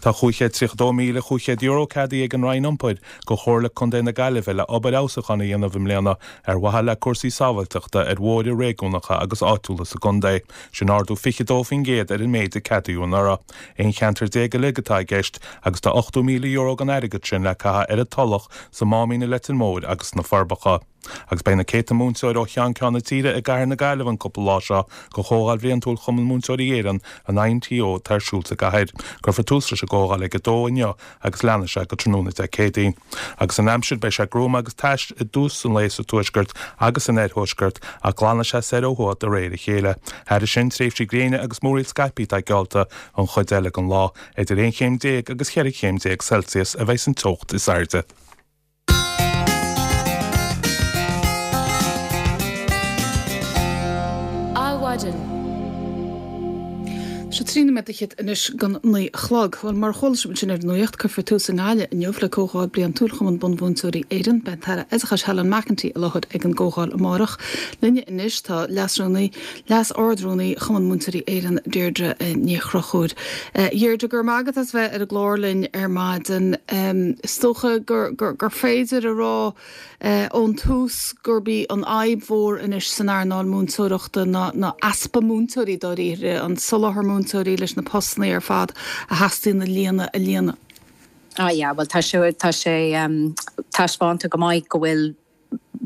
Tá cúig chéad tríocha dó míle cúig chéad euro ceadaithe ag an Roinn Iompair go Chomhairle Contae na Gaillimhe le obair fheabhsúcháin a dhéanamh i mbliana ar mhaithe le cúrsaí sábháilteachta ar bhóithre réigiúnacha agus áitiúla sa gcontae. Sin ardú fiche dó faoin gcéad ar an méid a ceadaíodh anuraidh. Aon cheantar déag uilig atá i gceist agus tá ochtó míle euro den airgead sin le caitheamh ar an Tulach, sa Máimín i Leitir Móir agus sna Forbacha. Agus beidh na céadta múinteoir ó cheann ceann na tíre i gCathair na Gaillimhe an cúpla lá seo go Chomhdháil Bhliantúil Chumann Múinteoirí Éireann an I N T O atá ar siúl sa gcathair. Cuirfear tús leis an gcomhdháil ag a dó inniu agus leanfaidh sé go tráthnóna Dé Céadaoin. Agus an aimsir beidh sé gruama agus tais i dtús an lae sa tuaisceart agus san oirthuaisceart ach glanfaidh sé soir ó thuaidh de réir a chéile. Thairis sin tréimhsí gréine agus múraíl scaipthe atá geallta an chuid eile den lá, idir aon chéim déag agus ceithre chéim déag Celsius a bheidh an teocht is airde. Adhmhaidin. Sé trí nóiméad fhichead anois don naoi a chlog. Bhuel, mar a chuala sibh ansin ar an nuacht, cuirfear tús i nGaillimh inniu le Comhdháil Bliantúil Chumann Bunmhúinteoirí Éireann. Beidh an tAire Oideachais Helen McEntee i láthair ag an gcomhdháil amárach. Linne anois tá Leas-Rúnaí, Leas-Ard-Rúnaí Chumann Múinteoirí Éireann, Deirdre Ní Chonchúir. Deirdre, go raibh maith agat as bheith ar an gclár linn ar maidin. Is dócha gur, gur, gur féidir a rá ón tús gurb í an fhadhb mhór anois san earnáil múinteoireachta ná, ná easpa múinteoirí dáiríre, an soláthar múinteoirí leis na postanna ar fad a theastaíonn a líonadh a líonadh. Ah yeah, well tá sé tá sé um, taispeánta go maith go bhfuil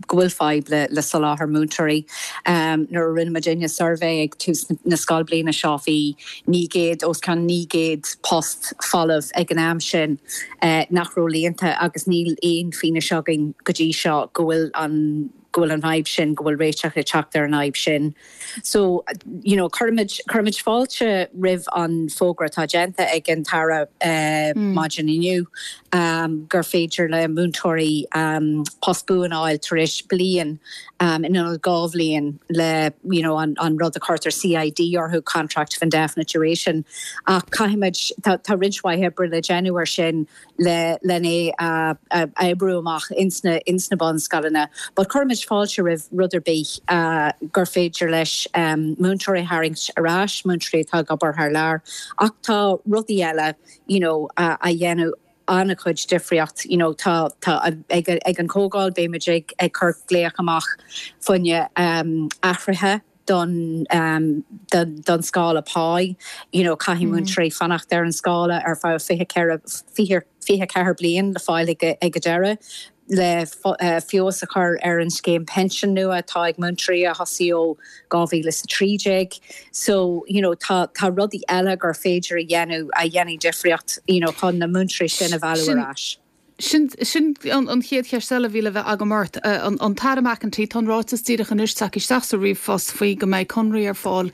go bhfuil fadhb le, le soláthar múinteoirí. Um, nuair a rinne muidinne suirbhé ag tús na scoilbhliana seo bhí naoi gcéad os cionn naoi gcéad post folamh ag an am sin uh, nach raibh líonta agus níl aon fianaise againn go dtí seo go bhfuil an go bhfuil an fhadhb sin go bhfuil réiteach ag teacht ar an fhadhb sin. So you know, cuirimid cuirimid fáilte roimh an fógra atá déanta ag an tAire uh, mm. maidin inniu um, gur féidir le múinteoirí um, post buan a fháil tar éis bliain um, in ionad dhá bhliain le you know, an, an rud a chuirtear C I D orthu, contract of indefinite duration. Ach caithfimid tá, tá roinnt mhaith oibre le déanamh ar sin le lena uh, uh, oibriú amach insna insna bunscoileanna. But cuirimid fáilte roimh rud ar bith uh, gur féidir leis um, múinteoirí a tharraingt ar ais, múinteoirí atá ag obair thar lear, ach tá rudaí eile you know, uh, a dhéanamh an-chuid difríocht you know, tá tá ag, ag an gcomhdháil beimid ag ag cur glaoch amach faoi um, athruithe don um, don, don scála pá, you know, caithfidh mm. múinteoirí fanacht ar an scála ar feadh fiche fiche fiche ceathair bliain le fáil ag ag deireadh le uh, feabhas a chur ar an scéim pension nua atá ag múinteoirí a thosaigh ó dhá mhíle is trí déag. So you know, tá tá rudaí eile gur féidir a dhéanamh a dhéanfaidh difríocht you know, chun na múinteoirí sin a mhealladh ar ais. Sin sin an, an chéad cheist eile a bhí le bheith agam ort an, an tAire McEntee tá ráiteas díreach anois tagtha isteach sa ríomhphost faoi go mbeidh conraí ar fáil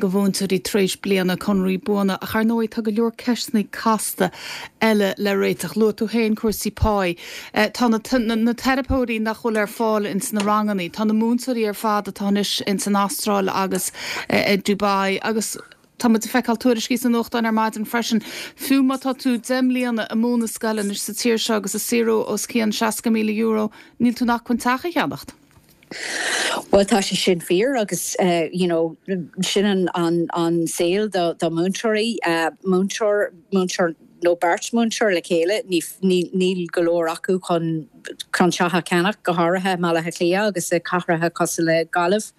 do mhúinteoirí tar éis bliana conraí buana ach ar ndóigh tá go leor ceisteanna casta eile le réiteach luaigh tú féin cúrsaí pá. Tá na, na, na teiripeoirí nach bhfuil ar fáil ins na ranganna, tá na múinteoirí ar fad atá anois ins an Astráil agus uh, Dubai agus Tá muid ag feiceáil tuairiscí sa nuachtán ar maidin freisin. Fiú má tá tú deich mbliana ag múineadh scoile anois sa tír seo agus ag saothrú os cionn seasca míle euro, níl tú in acmhainn teach a cheannacht. Well tá sé sin fíor agus uh, you know, sin an, an, an saol do, do múinteoirí uh, múinteoir múinteoir nó beirt múinteoir le chéile níl go leor acu chun chun teach a cheannach go háirithe Baile Átha Cliath agus i cathracha cosúil le Gaillimh.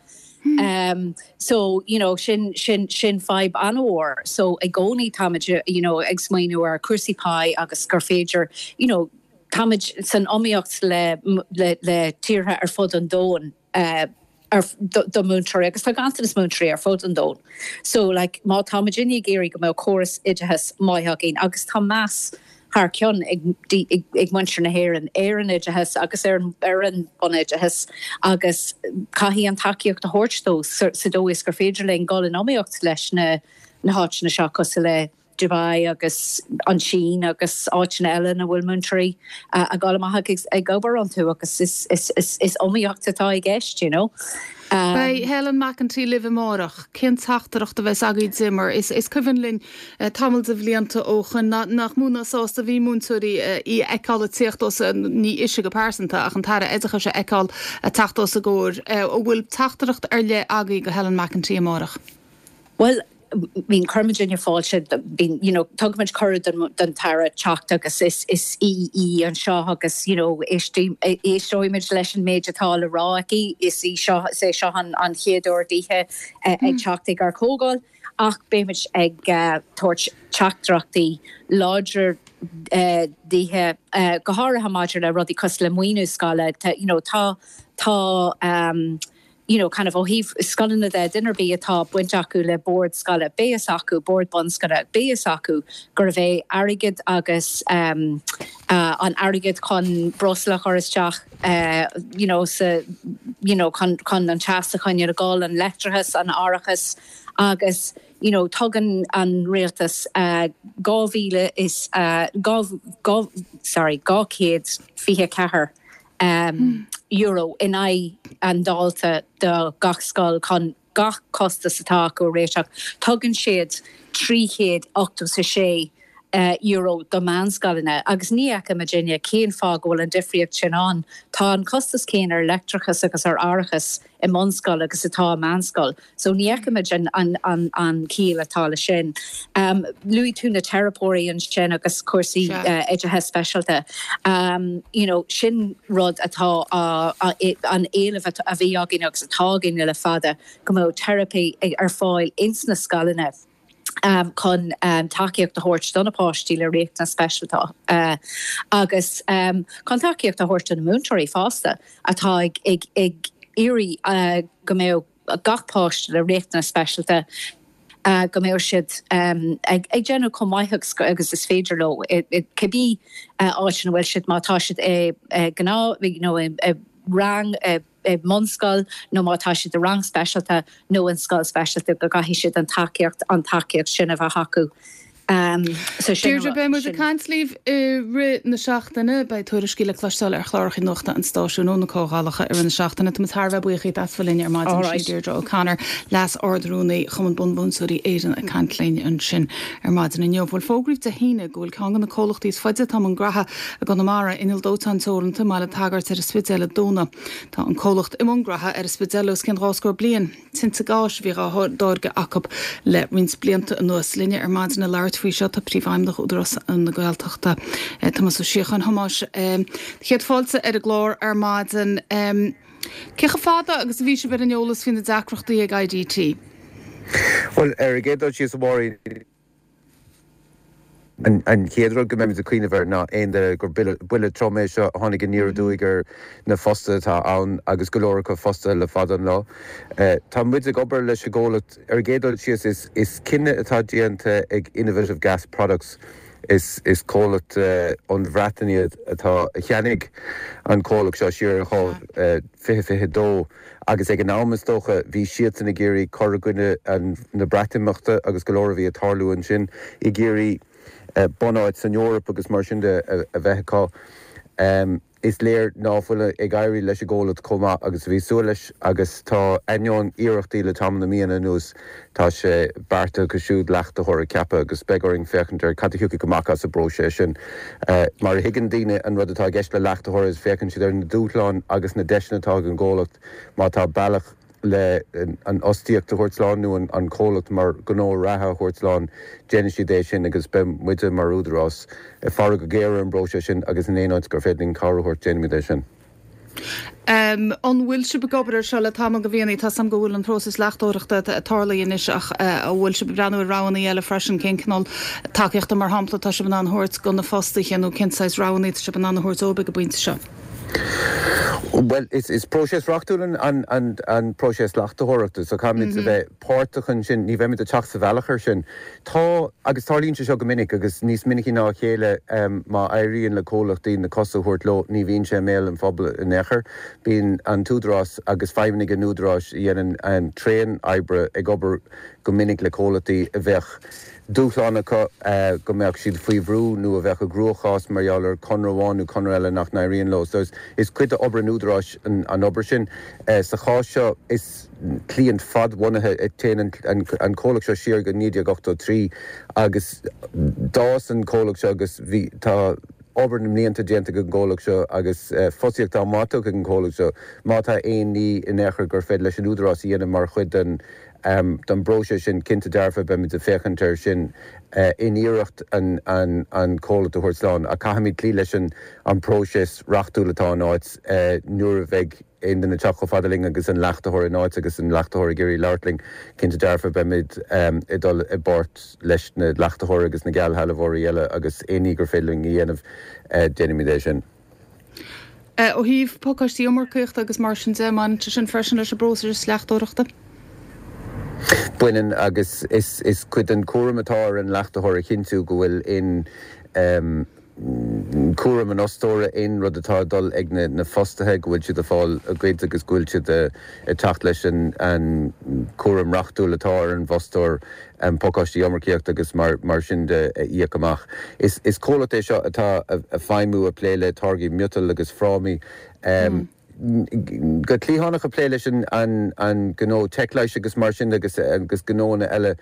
Hmm. Um, so you know sin sin sin fadhb an-mhór so i gcónaí táimid you know ag smaoineamh ar cúrsaí pá agus gur féidir you know táimid san iomaíocht le le, le tíortha ar fud an domhain uh, ar do, do múinteoirí agus tá ganntanas múinteoirí ar fud an domhain. So like, má táimid ag iarraidh go mbeadh córas oideachais maith againn agus tá meas thar cionn ag, ag, ag muintir na hÉireann ar an oideachas agus ar, ar an bunoideachas agus caithfidh an tacaíocht a thabhairt dó sa, sa dóigh is gur féidir linn dul in iomaíocht leis na na háiteanna seo cosúil le Dubai agus an tSín agus áiteanna eile na bhfuil múinteoirí uh, a gáil amach ag, ag obair iontu agus is, is, is, is iomaíocht atá i gceist, you know. Um, Beidh Helen McEntee libh amárach, cén teachtaireacht a bheas agaibh di mar is, is cuimhin linn uh, tamall de bhlianta ó shin nach mó ná sásta a bhí múinteoirí uh, í a fheiceáil ag teacht os ní ise go pearsanta ach an tAire Oideachais a fheiceáil ag teacht os a gcomhair uh, an bhfuil teachtaireacht ar leith agaibh go Helen McEntee amárach. Well, bíonn cuirimid fáilte bíonn you know tugaimid cuireadh don, don tAire teacht agus is is í í anseo agus you know éisteoimid leis an méid atá le rá aici is í seo is é seo an, an chéad uair dithe uh, ag teacht ag ár comhdháil ach beimid ag uh, tabhairt teachtaireachtaí láidir uh, dithe uh, go háirithe maidir le rudaí cosúil le maoiniú scoile you know tá tá um, you know, kind of ó thaobh scoileanna de duine ar bith atá baint acu le bord scoile beidh acu bord bunscoile beidh acu gurbh é airgead agus um, uh, an airgead chun breosla a chur isteach uh, you know, sa, you know, chun, chun an teas a choinneáil ag gabháil an leictreachas an árachas agus you know, tugann an rialtas uh, dhá mhíle is uh, dhá, dhá, sorry, dhá chéad fiche ceathair um, mm. euro in aghaidh an dalta do gach scoil chun gach costas atá acu a réiteach. Tugann siad trí chéad ochtó a sé uh, euro do meánscoileanna agus ní fheicimidne cén fáth go bhfuil an difríocht sin ann. Tá an costas céanna ar leictreachas agus ar árachas i mbunscoil agus atá meánscoil. So ní fheicimid an, an, an, an chiall atá le sin. Um, Luaigh tú na teiripeoirí ansin agus cúrsaí uh, oideachas speisialta. Um, you know, sin rud atá uh, uh, an éileamh a bhí againn agus atá againn le fada go mbeadh teiripe ar fáil ins na scoileanna. um, chun um, tacaíocht a thabhairt do na páistí le riachtanais speisialta uh, agus um, chun tacaíocht a thabhairt do na múinteoirí fosta atá ag, ag, ag iarraidh uh, go mbeadh gach páiste le riachtanais speisialta uh, go mbeadh siad um, ag, ag déanamh chomh maith agus is féidir leo cibé uh, áit ina bhfuil siad má tá siad e, e, gná you know, e, e, rang e, i mbunscoil nó má tá siad i rang speisialta nó in scoil speisialta go gcaithfidh siad an tacaíocht an tacaíocht sin a bheith acu. Um, so Deirdre beidh muid ag caint libh i rith na seachtaine beidh tuairiscí le cloisteáil ar chláracha nuachta an stáisiúin ó na comhdhálacha i rith na seachtaine Tá thar bheith buíoch as bheith linn ar maidin sin Deirdre O'Connor leas Ard-Rúnaí Chumann Bunmhúinteoirí Éireann ag caint linn ansin ar maidin inniu. Bhuel fógraíodh Dé hAoine go bhfuil ceann de na comhlachtaí is faide atá i mbun graithe i gConamara Inneall Dóiteáin Teoranta i mBaile an tSagairt ar an Spidéal ag dúnadh. Tá an comhlacht i mbun graithe ar an Spidéal os cionn dhá scór bliain. Tinte gáis a bhí á dtáirgeadh acu le roinnt blianta anuas linne ar maidin le labhairt faoi seo tá Príomhfheidhmeannach Údarás na Gaeltachta Tomás Ó Síocháin. Thomáis céad fáilte ar an gclár ar maidin. Cé chomh fada agus a bhí sibh ar an eolas faoi na deacrachtaí ag I D T? Bhuel, ar an gcéad dul síos, a Mháirín, an chéad rud go mbeimid ag cuimhneamh air ná aon duine gur buille trom é seo a tháinig aniar aduaidh ar na fostaithe atá ann agus go leor acu fostaithe le fada an lá. Tá muid ag obair leis an gcomhlacht. Ar an gcéad dul síos, is is cinneadh atá déanta ag Innovative Gas Products, is is comhlacht ón Bhreatain iad atá a cheannaigh an comhlacht seo siar in fiche fiche dó agus ag an am, is dócha, bhí siadsan ag iarraidh cur i gcoinne na Breatimeachta agus go leor a bhí ag tarlú ansin, ag iarraidh bunáit san Eoraip agus mar sin de a bheith acu. Is léir ná fuil ag éirí leis an gcomhlacht chomh maith agus a bhí súil leis agus tá, ainneoin iarrachtaí le tamall na míonna anuas, tá sé beartaithe acu siúd leachtaitheoir a cheapadh agus beidh orainn féachaint ar cad a thiocfaidh amach as an bpróiseas sin. Mar a thuigeann daoine, an rud atá i gceist le leachtaitheoir is féachann siad ar na dúshláin agus na deiseanna atá ag an gcomhlacht. Má tá bealach le an fhostaíocht a thabhairt slán nó an comhlacht mar gnó reatha a thabhairt slán, déanfaidh siad é sin agus beidh muide mar údarás ag faire go géar ar an bpróiseas sin agus in aon áit gur féidir linn cabhair a thabhairt, déanfaimid é sin. Um, an bhfuil sibh ag obair ar seo le tamall de mhíonna? Tá sam go bhfuil an próiseas leachtóireachta tarlaithe anois, ach uh, an bhfuil sibh ag breathnú ar roghanna eile freisin? Cén cineál tacaíochta, mar shampla, tá sibh in ann a thabhairt do na fostaithe nó cén saghas roghanna tá sibh in ann a thabhairt dóibh ag an bpointe seo? Well, is, is próiseas reachtúil an, an, an, an próiseas leachtaitheoireachta, so caithfimid mm -hmm. a bheith páirteach ansin, ní bheimid ag teacht sa bhealach ar sin. Tá agus tarlaíonn sé seo go minic agus níos minicí ná a chéile, um, má éiríonn le comhlachtaí na cosa a thabhairt leo, ní bhíonn sé i mbéal an phobail in aon chor. Bíonn an t-údarás agus feidhmeannaigh an údaráis a dhéanann an tréan oibre ag obair go minic le comhlachtaí a bheadh dúshlán acu, uh, go mbeadh siad faoi bhrú nó a bheadh i gcruachás mar gheall ar conradh amháin nó conradh eile nach n-éiríonn leo. So is, is cuid de obair an údaráis an, an obair sin. Uh, sa chás seo, is cliant fadbhunaithe, téann an, an, an comhlacht seo siar go naoi déag ochtó trí agus d'fhás an comhlacht seo agus bhí tá obair na mblianta déanta ag an gcomhlacht seo agus uh, fostaíocht an-mhaith ag an gcomhlacht seo. Má tá aon ní in aon chor gur féidir leis an údarás a dhéanamh mar chuid den um, don bpróiseas sin, cinnte dearfa beimid ag féachaint air sin uh, in iarracht an, an, an comhlacht a thabhairt slán, a caithfimid cloí leis an, an próiseas reachtúil atá in áit. uh, nuair a bheidh aon duine teacht chomh fada linn agus an leachtaitheoir in áit agus an leachtaitheoir ag iarraidh labhairt linn, cinnte dearfa beimid um, ag dul i bpáirt leis na leachtaitheoir agus na geallshealbhóirí eile agus aon ní gur féidir linn a dhéanamh, uh, déanfaimid é sin. Ó thaobh pacáistí iomarcaíochta agus mar sin de, mbaineann sin freisin leis an bpróiseas leachtóireachta? Baineann, agus is, is cuid den chúram atá ar an leachtaitheoir a chinntiú go bhfuil in um, cúram an fhostóra aon rud atá dul ag na, na fostaithe, go bhfuil siad ag fáil a gcuid agus go bhfuil siad ag teacht leis an, an cúram reachtúil atá ar an bhfostóir um, pacáistí iomarcaíocht agus mar, mar sin de a íoc amach. Is, is comhlacht é seo atá ag feidhmiú, ag plé le táirgí miotail agus frámaí. Um, mm. Go cliathánach ag plé leis an, an, an gnó teicleis agus mar sin agus agus gnónna eile,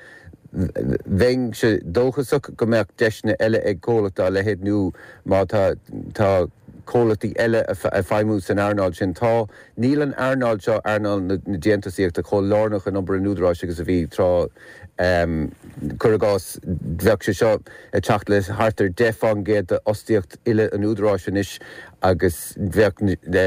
bheinn sé dóchasach go mbeadh deiseanna eile ag comhlacht dá leithéid nó má tá tá comhlachtaí eile ag feidhmiú san earnáil sin. Tá níl an earnáil seo, earnáil na, na déantúsaíochta, chomh lárnach in obair an údaráis agus a bhí tráth. um, Cuir i gcás, bheadh sé seo ag teacht le thart ar deich faoin gcéad d'fhostaíocht uile an údaráis anois agus bheadh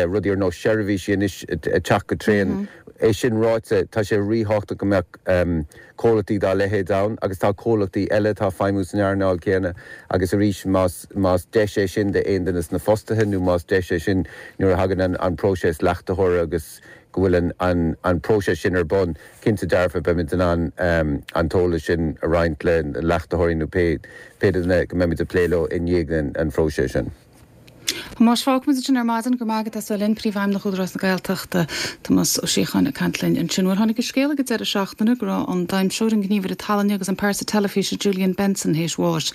rudaí ar nós seirbhísí anois ag teacht go tréan. Mm -hmm. É sin ráite, tá sé ríthábhachtach go mbeadh um, comhlachtaí dá leithéid ann agus tá comhlachtaí eile atá ag feidhmiú san earnáil céanna agus arís más más deis é sin d'aon duine de na fostaithe nó más deis é sin nuair a thagann an, an próiseas leachtaitheora agus go bhfuil an, an, an próiseas sin ar bun, cinnte dearfa beimid in ann um, an t-eolas sin a roinnt le leachtaitheoirí nó pé pé duine go mbeimid ag plé leo i ndiaidh an, an phróiseas sin. Más fágfaimid sin ar maidin. Go maith as linn, Príomhfheidhmeannach Údarás na Gaeltachta, Tomás Ó Síocháin, ag caint linn ansin. Bhuel, tháinig an scéal ag an deireadh seachtaine go raibh an damhsóir, an gníomhaire tallainne agus an pearsa teilifíse Julian Benson théis bháis.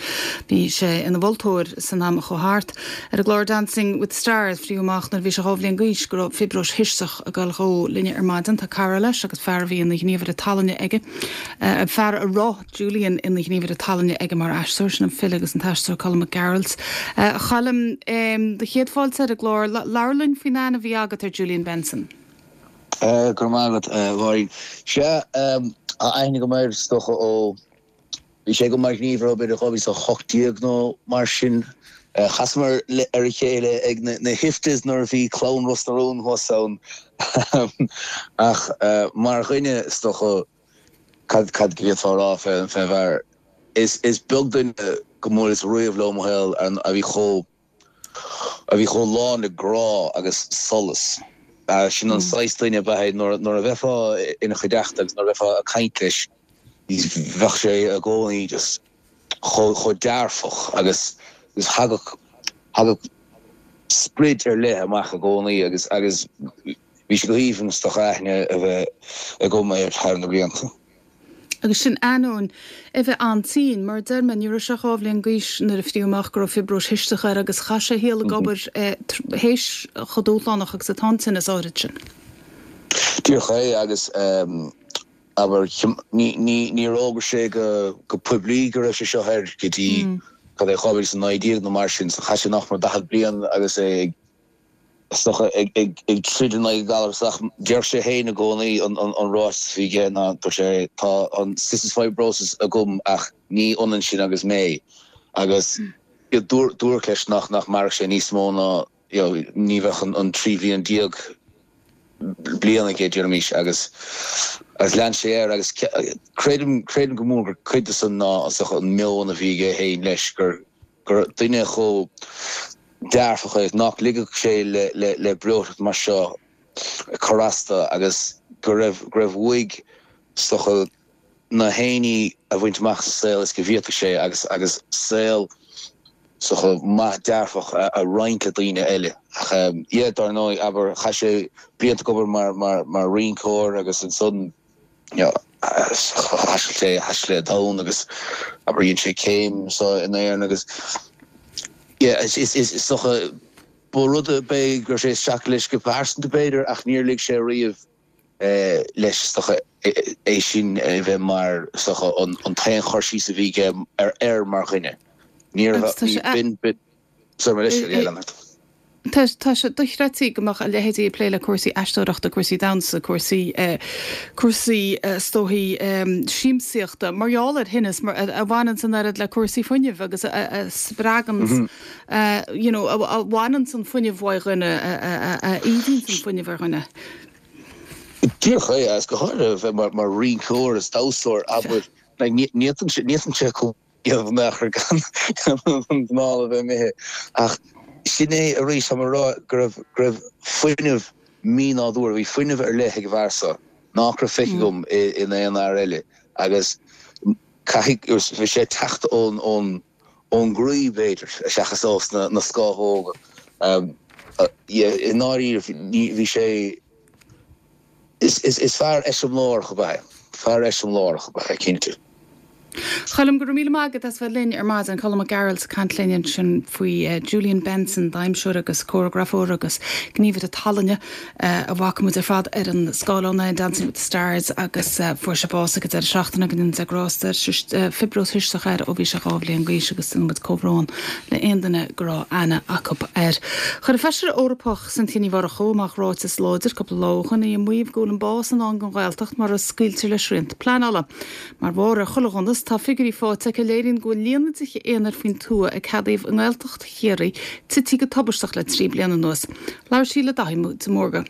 Bhí sé ina mholtóir san am a chuaigh thart. Ar an gclár Dancing with Stars fríoth amach nuair bhí sé dhá bhliain d'aois go raibh fiobróis chisteach ag dul dhó. Linne ar maidin tá cara leis agus fear a bhí ina ghníomhaire tallainne aige. Uh, fear a raibh Julian ina ghníomhaire tallainne aige mar aisteoir, sin an file agus an t-aisteoir Colm Mac Gearailt. Uh, Choilm, um, do chéad fáilte ar an gclár. Labhair linn faoin aithne a bhí agat ar Julian Benson. Uh, Go maith agat, Mháirín. Sé aithne go maith stocha ó bhí sé go mar ghníomhaire b'fhéidir dhá mhíle hocht déag nó mar sin. Chasamar ar a chéile ag na, na hIFTAs nuair a bhí clann Ros na Rún thuas ann. Ach mar dhuine, is dócha, cad cad go bhféadfá a rá fén bhfear? Is is beag duine go mbuaileas riamh leo i mo shaol a bhí chomh a bhí chomh lán le grá agus solas. Sin an saghas duine ab ea é, nuair nuair a bheifeá ina chuideachta agus nuair a bheifeá ag caint leis, bheadh sé i gcónaí just chomh chomh dearfach agus agus thagadh thagadh sprid ar leith amach i gcónaí agus agus bhí sé go haoibhinn is dócha aithne a bheith agam air thar na blianta. Agus sin ainneoin é bheith an-tinn, mar a deir mé, ní raibh sé ach dhá bhliain d'aois nuair a fríodh amach go raibh fiobróis chisteach air agus chaith sé a shaol ag obair théis chomh dúshlánach agus atá an tinneas áirid sin. Díreach é agus abair, níor fhógair sé go poiblí go raibh sé seo air go dtí cad é dhá mhíle is a naoi déag nó mar sin, so chaith sé nach mór daichead bliain agus é ag is dócha, ag troid in aghaidh an ghalair ach deir sé féin i gcónaí an ráiteas a bhí aige ná, dúirt sé, tá an cystic fibrosis agam ach ní ionann sin agus mé agus dúradh leis nach nach mairfeadh sé níos mó ná you know ní bheadh an trí bhliain déag bliain aige deirimis agus agus lean sé air agus creidim creidim go mór gur cuid de san ná an meon a bhí aige féin leis gur gur duine chomh dearfach é nach ligfeadh sé le breoiteacht mar seo cur as dó agus go raibh go raibh uaidh is dócha na haon ní a bhaint amach sa saol is go bhféadfadh sé agus agus saol is dócha maith dearfach a a roinnt le daoine eile. Ach yeah dar ndóigh abair chaith sé blianta ag obair mar mar mar rinceoir agus ansan you know thaistil sé thaistil sé an domhan agus abair dhein sé céim anseo in Éirinn agus yeah is is is is dócha ba rud a b'é go raibh sé isteach leis go pearsanta b'fhéidir ach níor lig sé riamh eh leis is dócha é sin a bheith mar is dócha an an t-aon chur síos a bhí aige ar air mar dhuine. Níor Agus tá sé b'in b'in sorry mo leithscéal yeah lean ort. Tá tá sé dochreidte go mbeadh a leithéidí ag plé le cúrsaí aisteoireachta, cúrsaí damhsa, cúrsaí cúrsaí is dóichí siamsaíochta mar gheall ar thinneas mar a bhaineanns an oiread le cúrsaí fuinnimh agus a a spreaganns you know a a bhaineanns an fuinneamh uaidh dhuine a a a ídíonns an fuinneamh ar dhuine. Díreach é agus go háirithe a bheith mar mar rinceoir is damhsóir abair like ní ní fhéadann sé ní fhéadann sé chomh in aon chor gan an anáil a bheith imithe. Ach sin é arís, tá mé ag rá go raibh, go raibh fuinneamh mínádúrtha, bhí fuinneamh ar leith ag an bhfear seo nach raibh feicthe agam in aon fhear eile agus caithfidh, bhí sé ag teacht ón, ón, ón gcroí b'fhéidir seachas ós na, na scámhóga. I ndáiríre bhí sé, Is, is, is fear eiseamláireach ab ea é. Fear eiseamláireach ab ea é, cinnte. Choilm, go raibh míle maith agat as bheith linn ar maidin. Colm Mac Gearailt ag caint linn ansin faoi Julian Benson, damhsóir agus córagrafóir agus gníomhaire tallainne a bhfaca muid ar fad ar an scáileán in Dancing with the Stars agus fuair sé bás ag an deireadh seachtaine go ndéana Dia grásta air. Fiobróis chisteach air ó bhí sé dhá bhliain d'aois agus déanann muid comhbhrón le aon duine go raibh aithne acu air. Chuir an Feisire Eorpach Cynthia Ní Mhurchú amach ráiteas láidir cúpla lá ó shoin í ag maíomh go bhfuil an bás i ndán don Ghaeltacht mura scaoiltear le srianta pleanála. Mar bharr ar chuile dhonas, tá figiúirí faighte aici a léiríonn go bhfuil líon na dtithe aonair faoin tuath a ceadaíodh i nGaeltacht Chiarraí tite go tubaisteach le trí bliana anuas. Labhair sí le Daithí de Mórdha.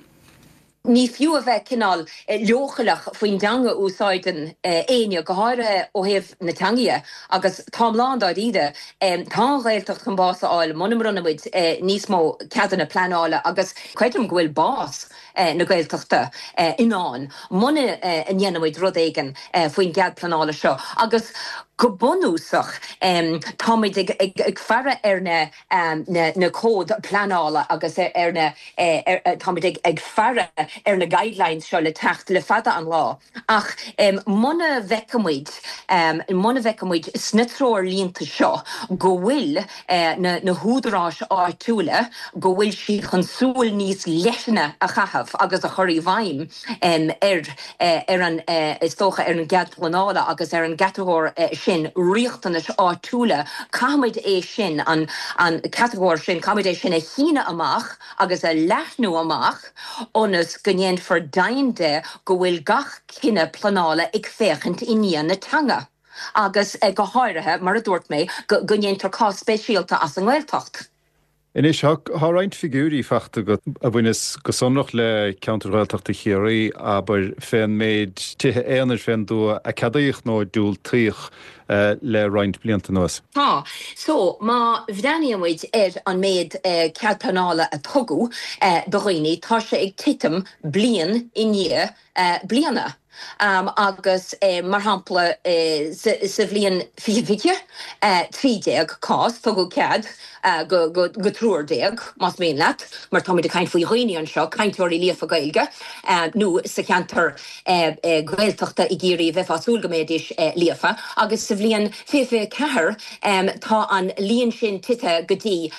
Ní fiú a bheith cineál leochaileach faoin dteanga a úsáideann éinne, go háirithe ó thaobh na teanga dhe, agus táim lán dáiríre, tá an Ghaeltacht chun bás a fháil muna mbronnann muid níos mó ceadanna pleanála agus creidim go bhfuil bás na Gaeltachta i ndán muna ndéanann muid rud éigin faoin gcead pleanála seo agus go bunúsach táimid ag faire ar na na cóid pleanála agus ar na táimid ag faire ar na guidelines seo le teacht le fada an lá ach muna bhfeicimid muna bhfeicimid sna treoirlínte seo go bhfuil na na húdaráis áitiúla go bhfuil siad chun súil níos leithne a chaitheamh agus a chur i bhfeidhm ar ar an is dócha ar an gcead pleanála agus ar an gcatagóir sin riachtanais áitiúla caithfimid é sin an an catagóir sin caithfimid é sin a shíneadh amach agus a leathnú amach ionas go ndéanfar deimhin de go bhfuil gach cinneadh pleanála ag féachaint i ndiaidh na teanga agus go háirithe mar a dúirt mé go ndéantar cás speisialta as an nGaeltacht. Anois, tá roinnt figiúirí faighte agat a bhaineas go sonrach le ceantar Ghaeltachta Chiarraí, abair, fén méid tithe aonair fén dtuath a ceadaíodh nó a diúltaíodh le roinnt blianta anuas. Tá. So, má bhreathnaíonn muid ar an méid cead pleanála a tugadh do dhaoine, tá sé ag titim bliain i ndiaidh bliana. Agus, mar shampla, sa bhliain fiche fiche, trí déag cás, tugadh cead go triúr déag, más mian leat, mar táimid ag caint faoi dhaoine anseo, cainteoirí líofa Gaeilge, nó sa cheantar Gaeltachta i gCiarraí, bheifeá ag súil go mbeidís líofa. Agus sa bhliain fiche fiche ceathair, tá an líon sin tite go dtí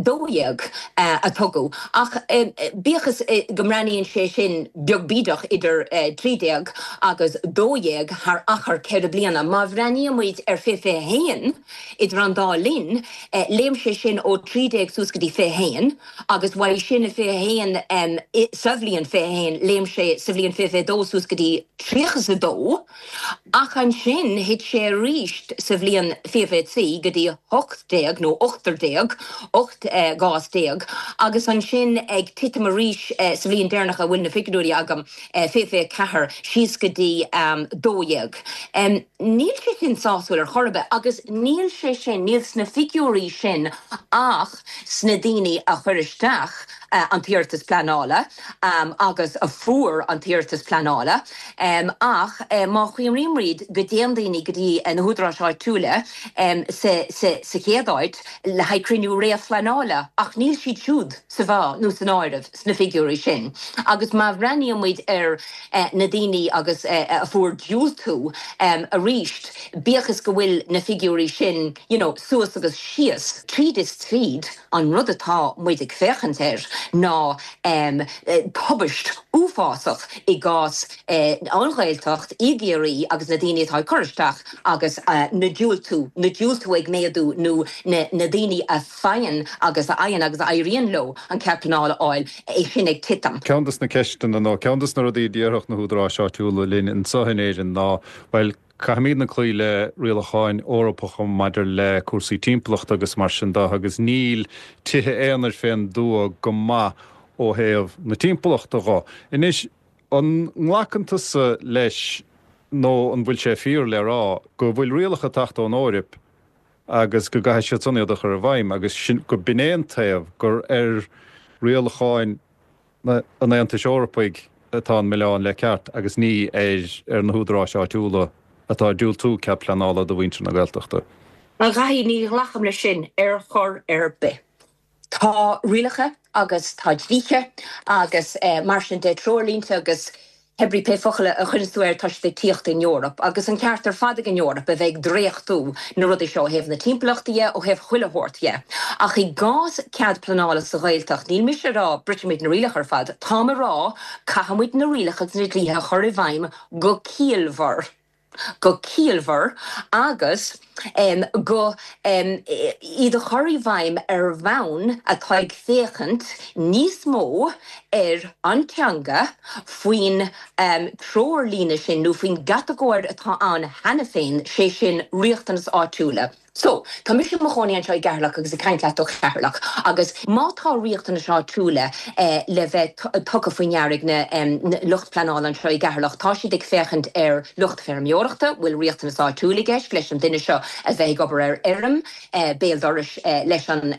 dó dhéag a tugadh. Ach bíodh is go mbreathnaíonn sé sin beag bídeach idir trí déag agus dó dhéag thar achar ceithre bliana, má bhreathnaíonn muid ar fiche fiche haon idir an dá linn, léim sé sin ó trí déag suas go dtí fiche haon agus uaidh sin i fiche haon, sa bhliain fiche haon, léim sé sa bhliain fiche fiche dó suas go dtí tríocha is a dó ach ansin thit sé arís sa bhliain fiche fiche trí go dtí hocht déag nó ochtar déag, ocht gcás déag, agus ansin ag titim arís sa bhliain deireanach a bhfuil na figiúirí agam, fiche fiche ceathair, síos go dtí dó dhéag. Níl sé sin sásúil ar chor ar bith agus níl sé sin, níl sna figiúirí sin ach sna daoine a chuir isteach an t-iarratas pleanála agus a fuair an t-iarratas pleanála ach má chuimhnímid go dtéann daoine go dtí na húdaráis áitiúla sa chéad áit le haghaidh cruinniú réamhphleanála ach níl siad siúd sa mheá nó san áireamh sna figiúirí sin agus má bhreathnaíonn muid ar na daoine agus a fuair diúltú arís, bíodh is go bhfuil na figiúirí sin you know suas agus síos, tríd is tríd an rud atá muid ag féachaint air ná tubaist uafásach i gcás an Ghaeltacht i gCiarraí agus na daoine atá ag cur isteach agus na diúltú, na diúltú ag méadú nó na na daoine a faigheann agus a fhaigheann agus a éiríonn leo an cead pleanála a fháil, é sin ag titim. Ceann des na ceisteanna nó ceann des na rudaí a déarfadh na húdaráis áitiúla linn anseo in Éirinn ná, bhuel, caithfimidne cloí le rialacháin Eorpacha maidir le cúrsaí timpeallachta agus mar sin de agus níl tithe aonair fén dtuath go maith ó thaobh na timpeallachta dho. Anois, an nglacann tusa leis nó an bhfuil sé fíor le rá go bhfuil rialacha ag teacht ón Eoraip agus go gcaithfidh siad san iad a chur i bhfeidhm agus sin, go b'in é an taobh gur ar rialacháin an Aontais Eorpaigh atá an milleán le ceart agus ní ar ar na húdaráis áitiúla atá ag diúltú cead pleanála do mhuintir na Gaeltachta. A Dhaithí, ní ghlacaim leis sin ar chor ar bith. Tá rialacha agus tá dlíthe agus mar sin de, treoirlínte agus hebrí pé focal a chuireanns tú air, tá siad ag tíocht ón Eoraip agus an ceart ar fad ag an Eoraip a bheith ag dréachtú na rudaí seo ó thaobh na timpeallachta dhe, ó thaobh chuile shórt dhe. Ach i gcás cead pleanála sa Ghaeltacht, níl mise ag rá brisfimid na rialacha ar fad, táim ag rá caithfimid na rialacha agus na dlíthe a chur i bhfeidhm go ciallmhar. go ciallmhar agus go iad a chur i bhfeidhm ar bhonn atá ag féachaint níos mó ar an teanga faoin treoirlíne sin nó faoin gcatagóir atá ann cheana féin, sé sin riachtanais áitiúla. So, tá mise i mo chónaí anseo i gCeatharlach agus ag caint leat ó Cheatharlach agus má tá riachtanais áitiúla le bheith tugtha faoi ndeara ag na lucht pleanála anseo i gCeatharlach, tá siad ag féachaint ar lucht feirmeoireachta, bhfuil riachtanas áitiúil i gceist leis an duine seo a bheith ag obair ar fheirm béal dorais leis an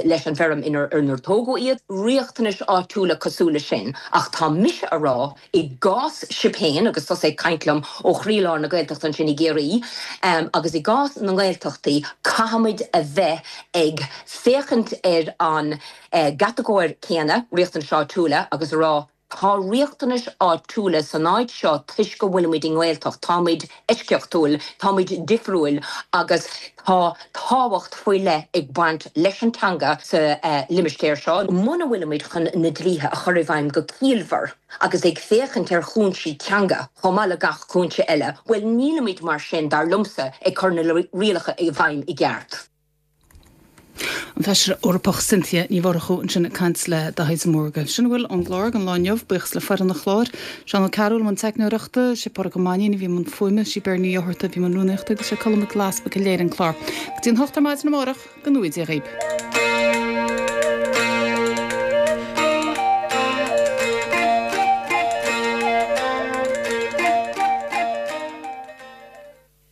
leis an bhfeirm inar inar tógadh iad, riachtanais áitiúla cosúil leis sin. Ach tá mise a rá I gcás sibh féin, agus tusa ag caint liom ó chroílár na Gaeltachta ansin i gCiarraí, agus i gcás na nGaeltachtaí, caithfimid a bheith ag féachaint ar an gcatagóir céanna, riachtanais áitiúla, agus a rá, tá riachtanais áitiúla san áit seo toisc go bhfuilimid i nGaeltacht, táimid eisceachtúil, táimid difriúil agus tá tábhacht faoi leith ag baint leis an teanga sa limistéar seo. Muna bhfuilimid chun na dlíthe a chur i bhfeidhm go ciallmhar, agus ag féachaint ar chúinsí teanga chomh maith le gach cúinse eile, bhuel, nílimid mar sin, dar liomsa, ag cur na rialacha i bhfeidhm i gceart. An Feisire Eorpach Cynthia Ní Mhurchú ansin ag caint le Daithí de Mórdha. Sin a bhfuil ón gclár don lá inniu. Buíochas le foireann an chláir, Seán Ó Cearúil i mbun teicneoireachta, sé Pádraig Ó Mainnín a bhí i mbun fuaime, sí Bear Ní Fhátharta a bhí i mbun rúnaíochta agus sé Colm Mac Giolla Easpaig a léirigh an clár. Go dtí an hocht ar maidin amárach, go ngnóthaí Dia dhaoib.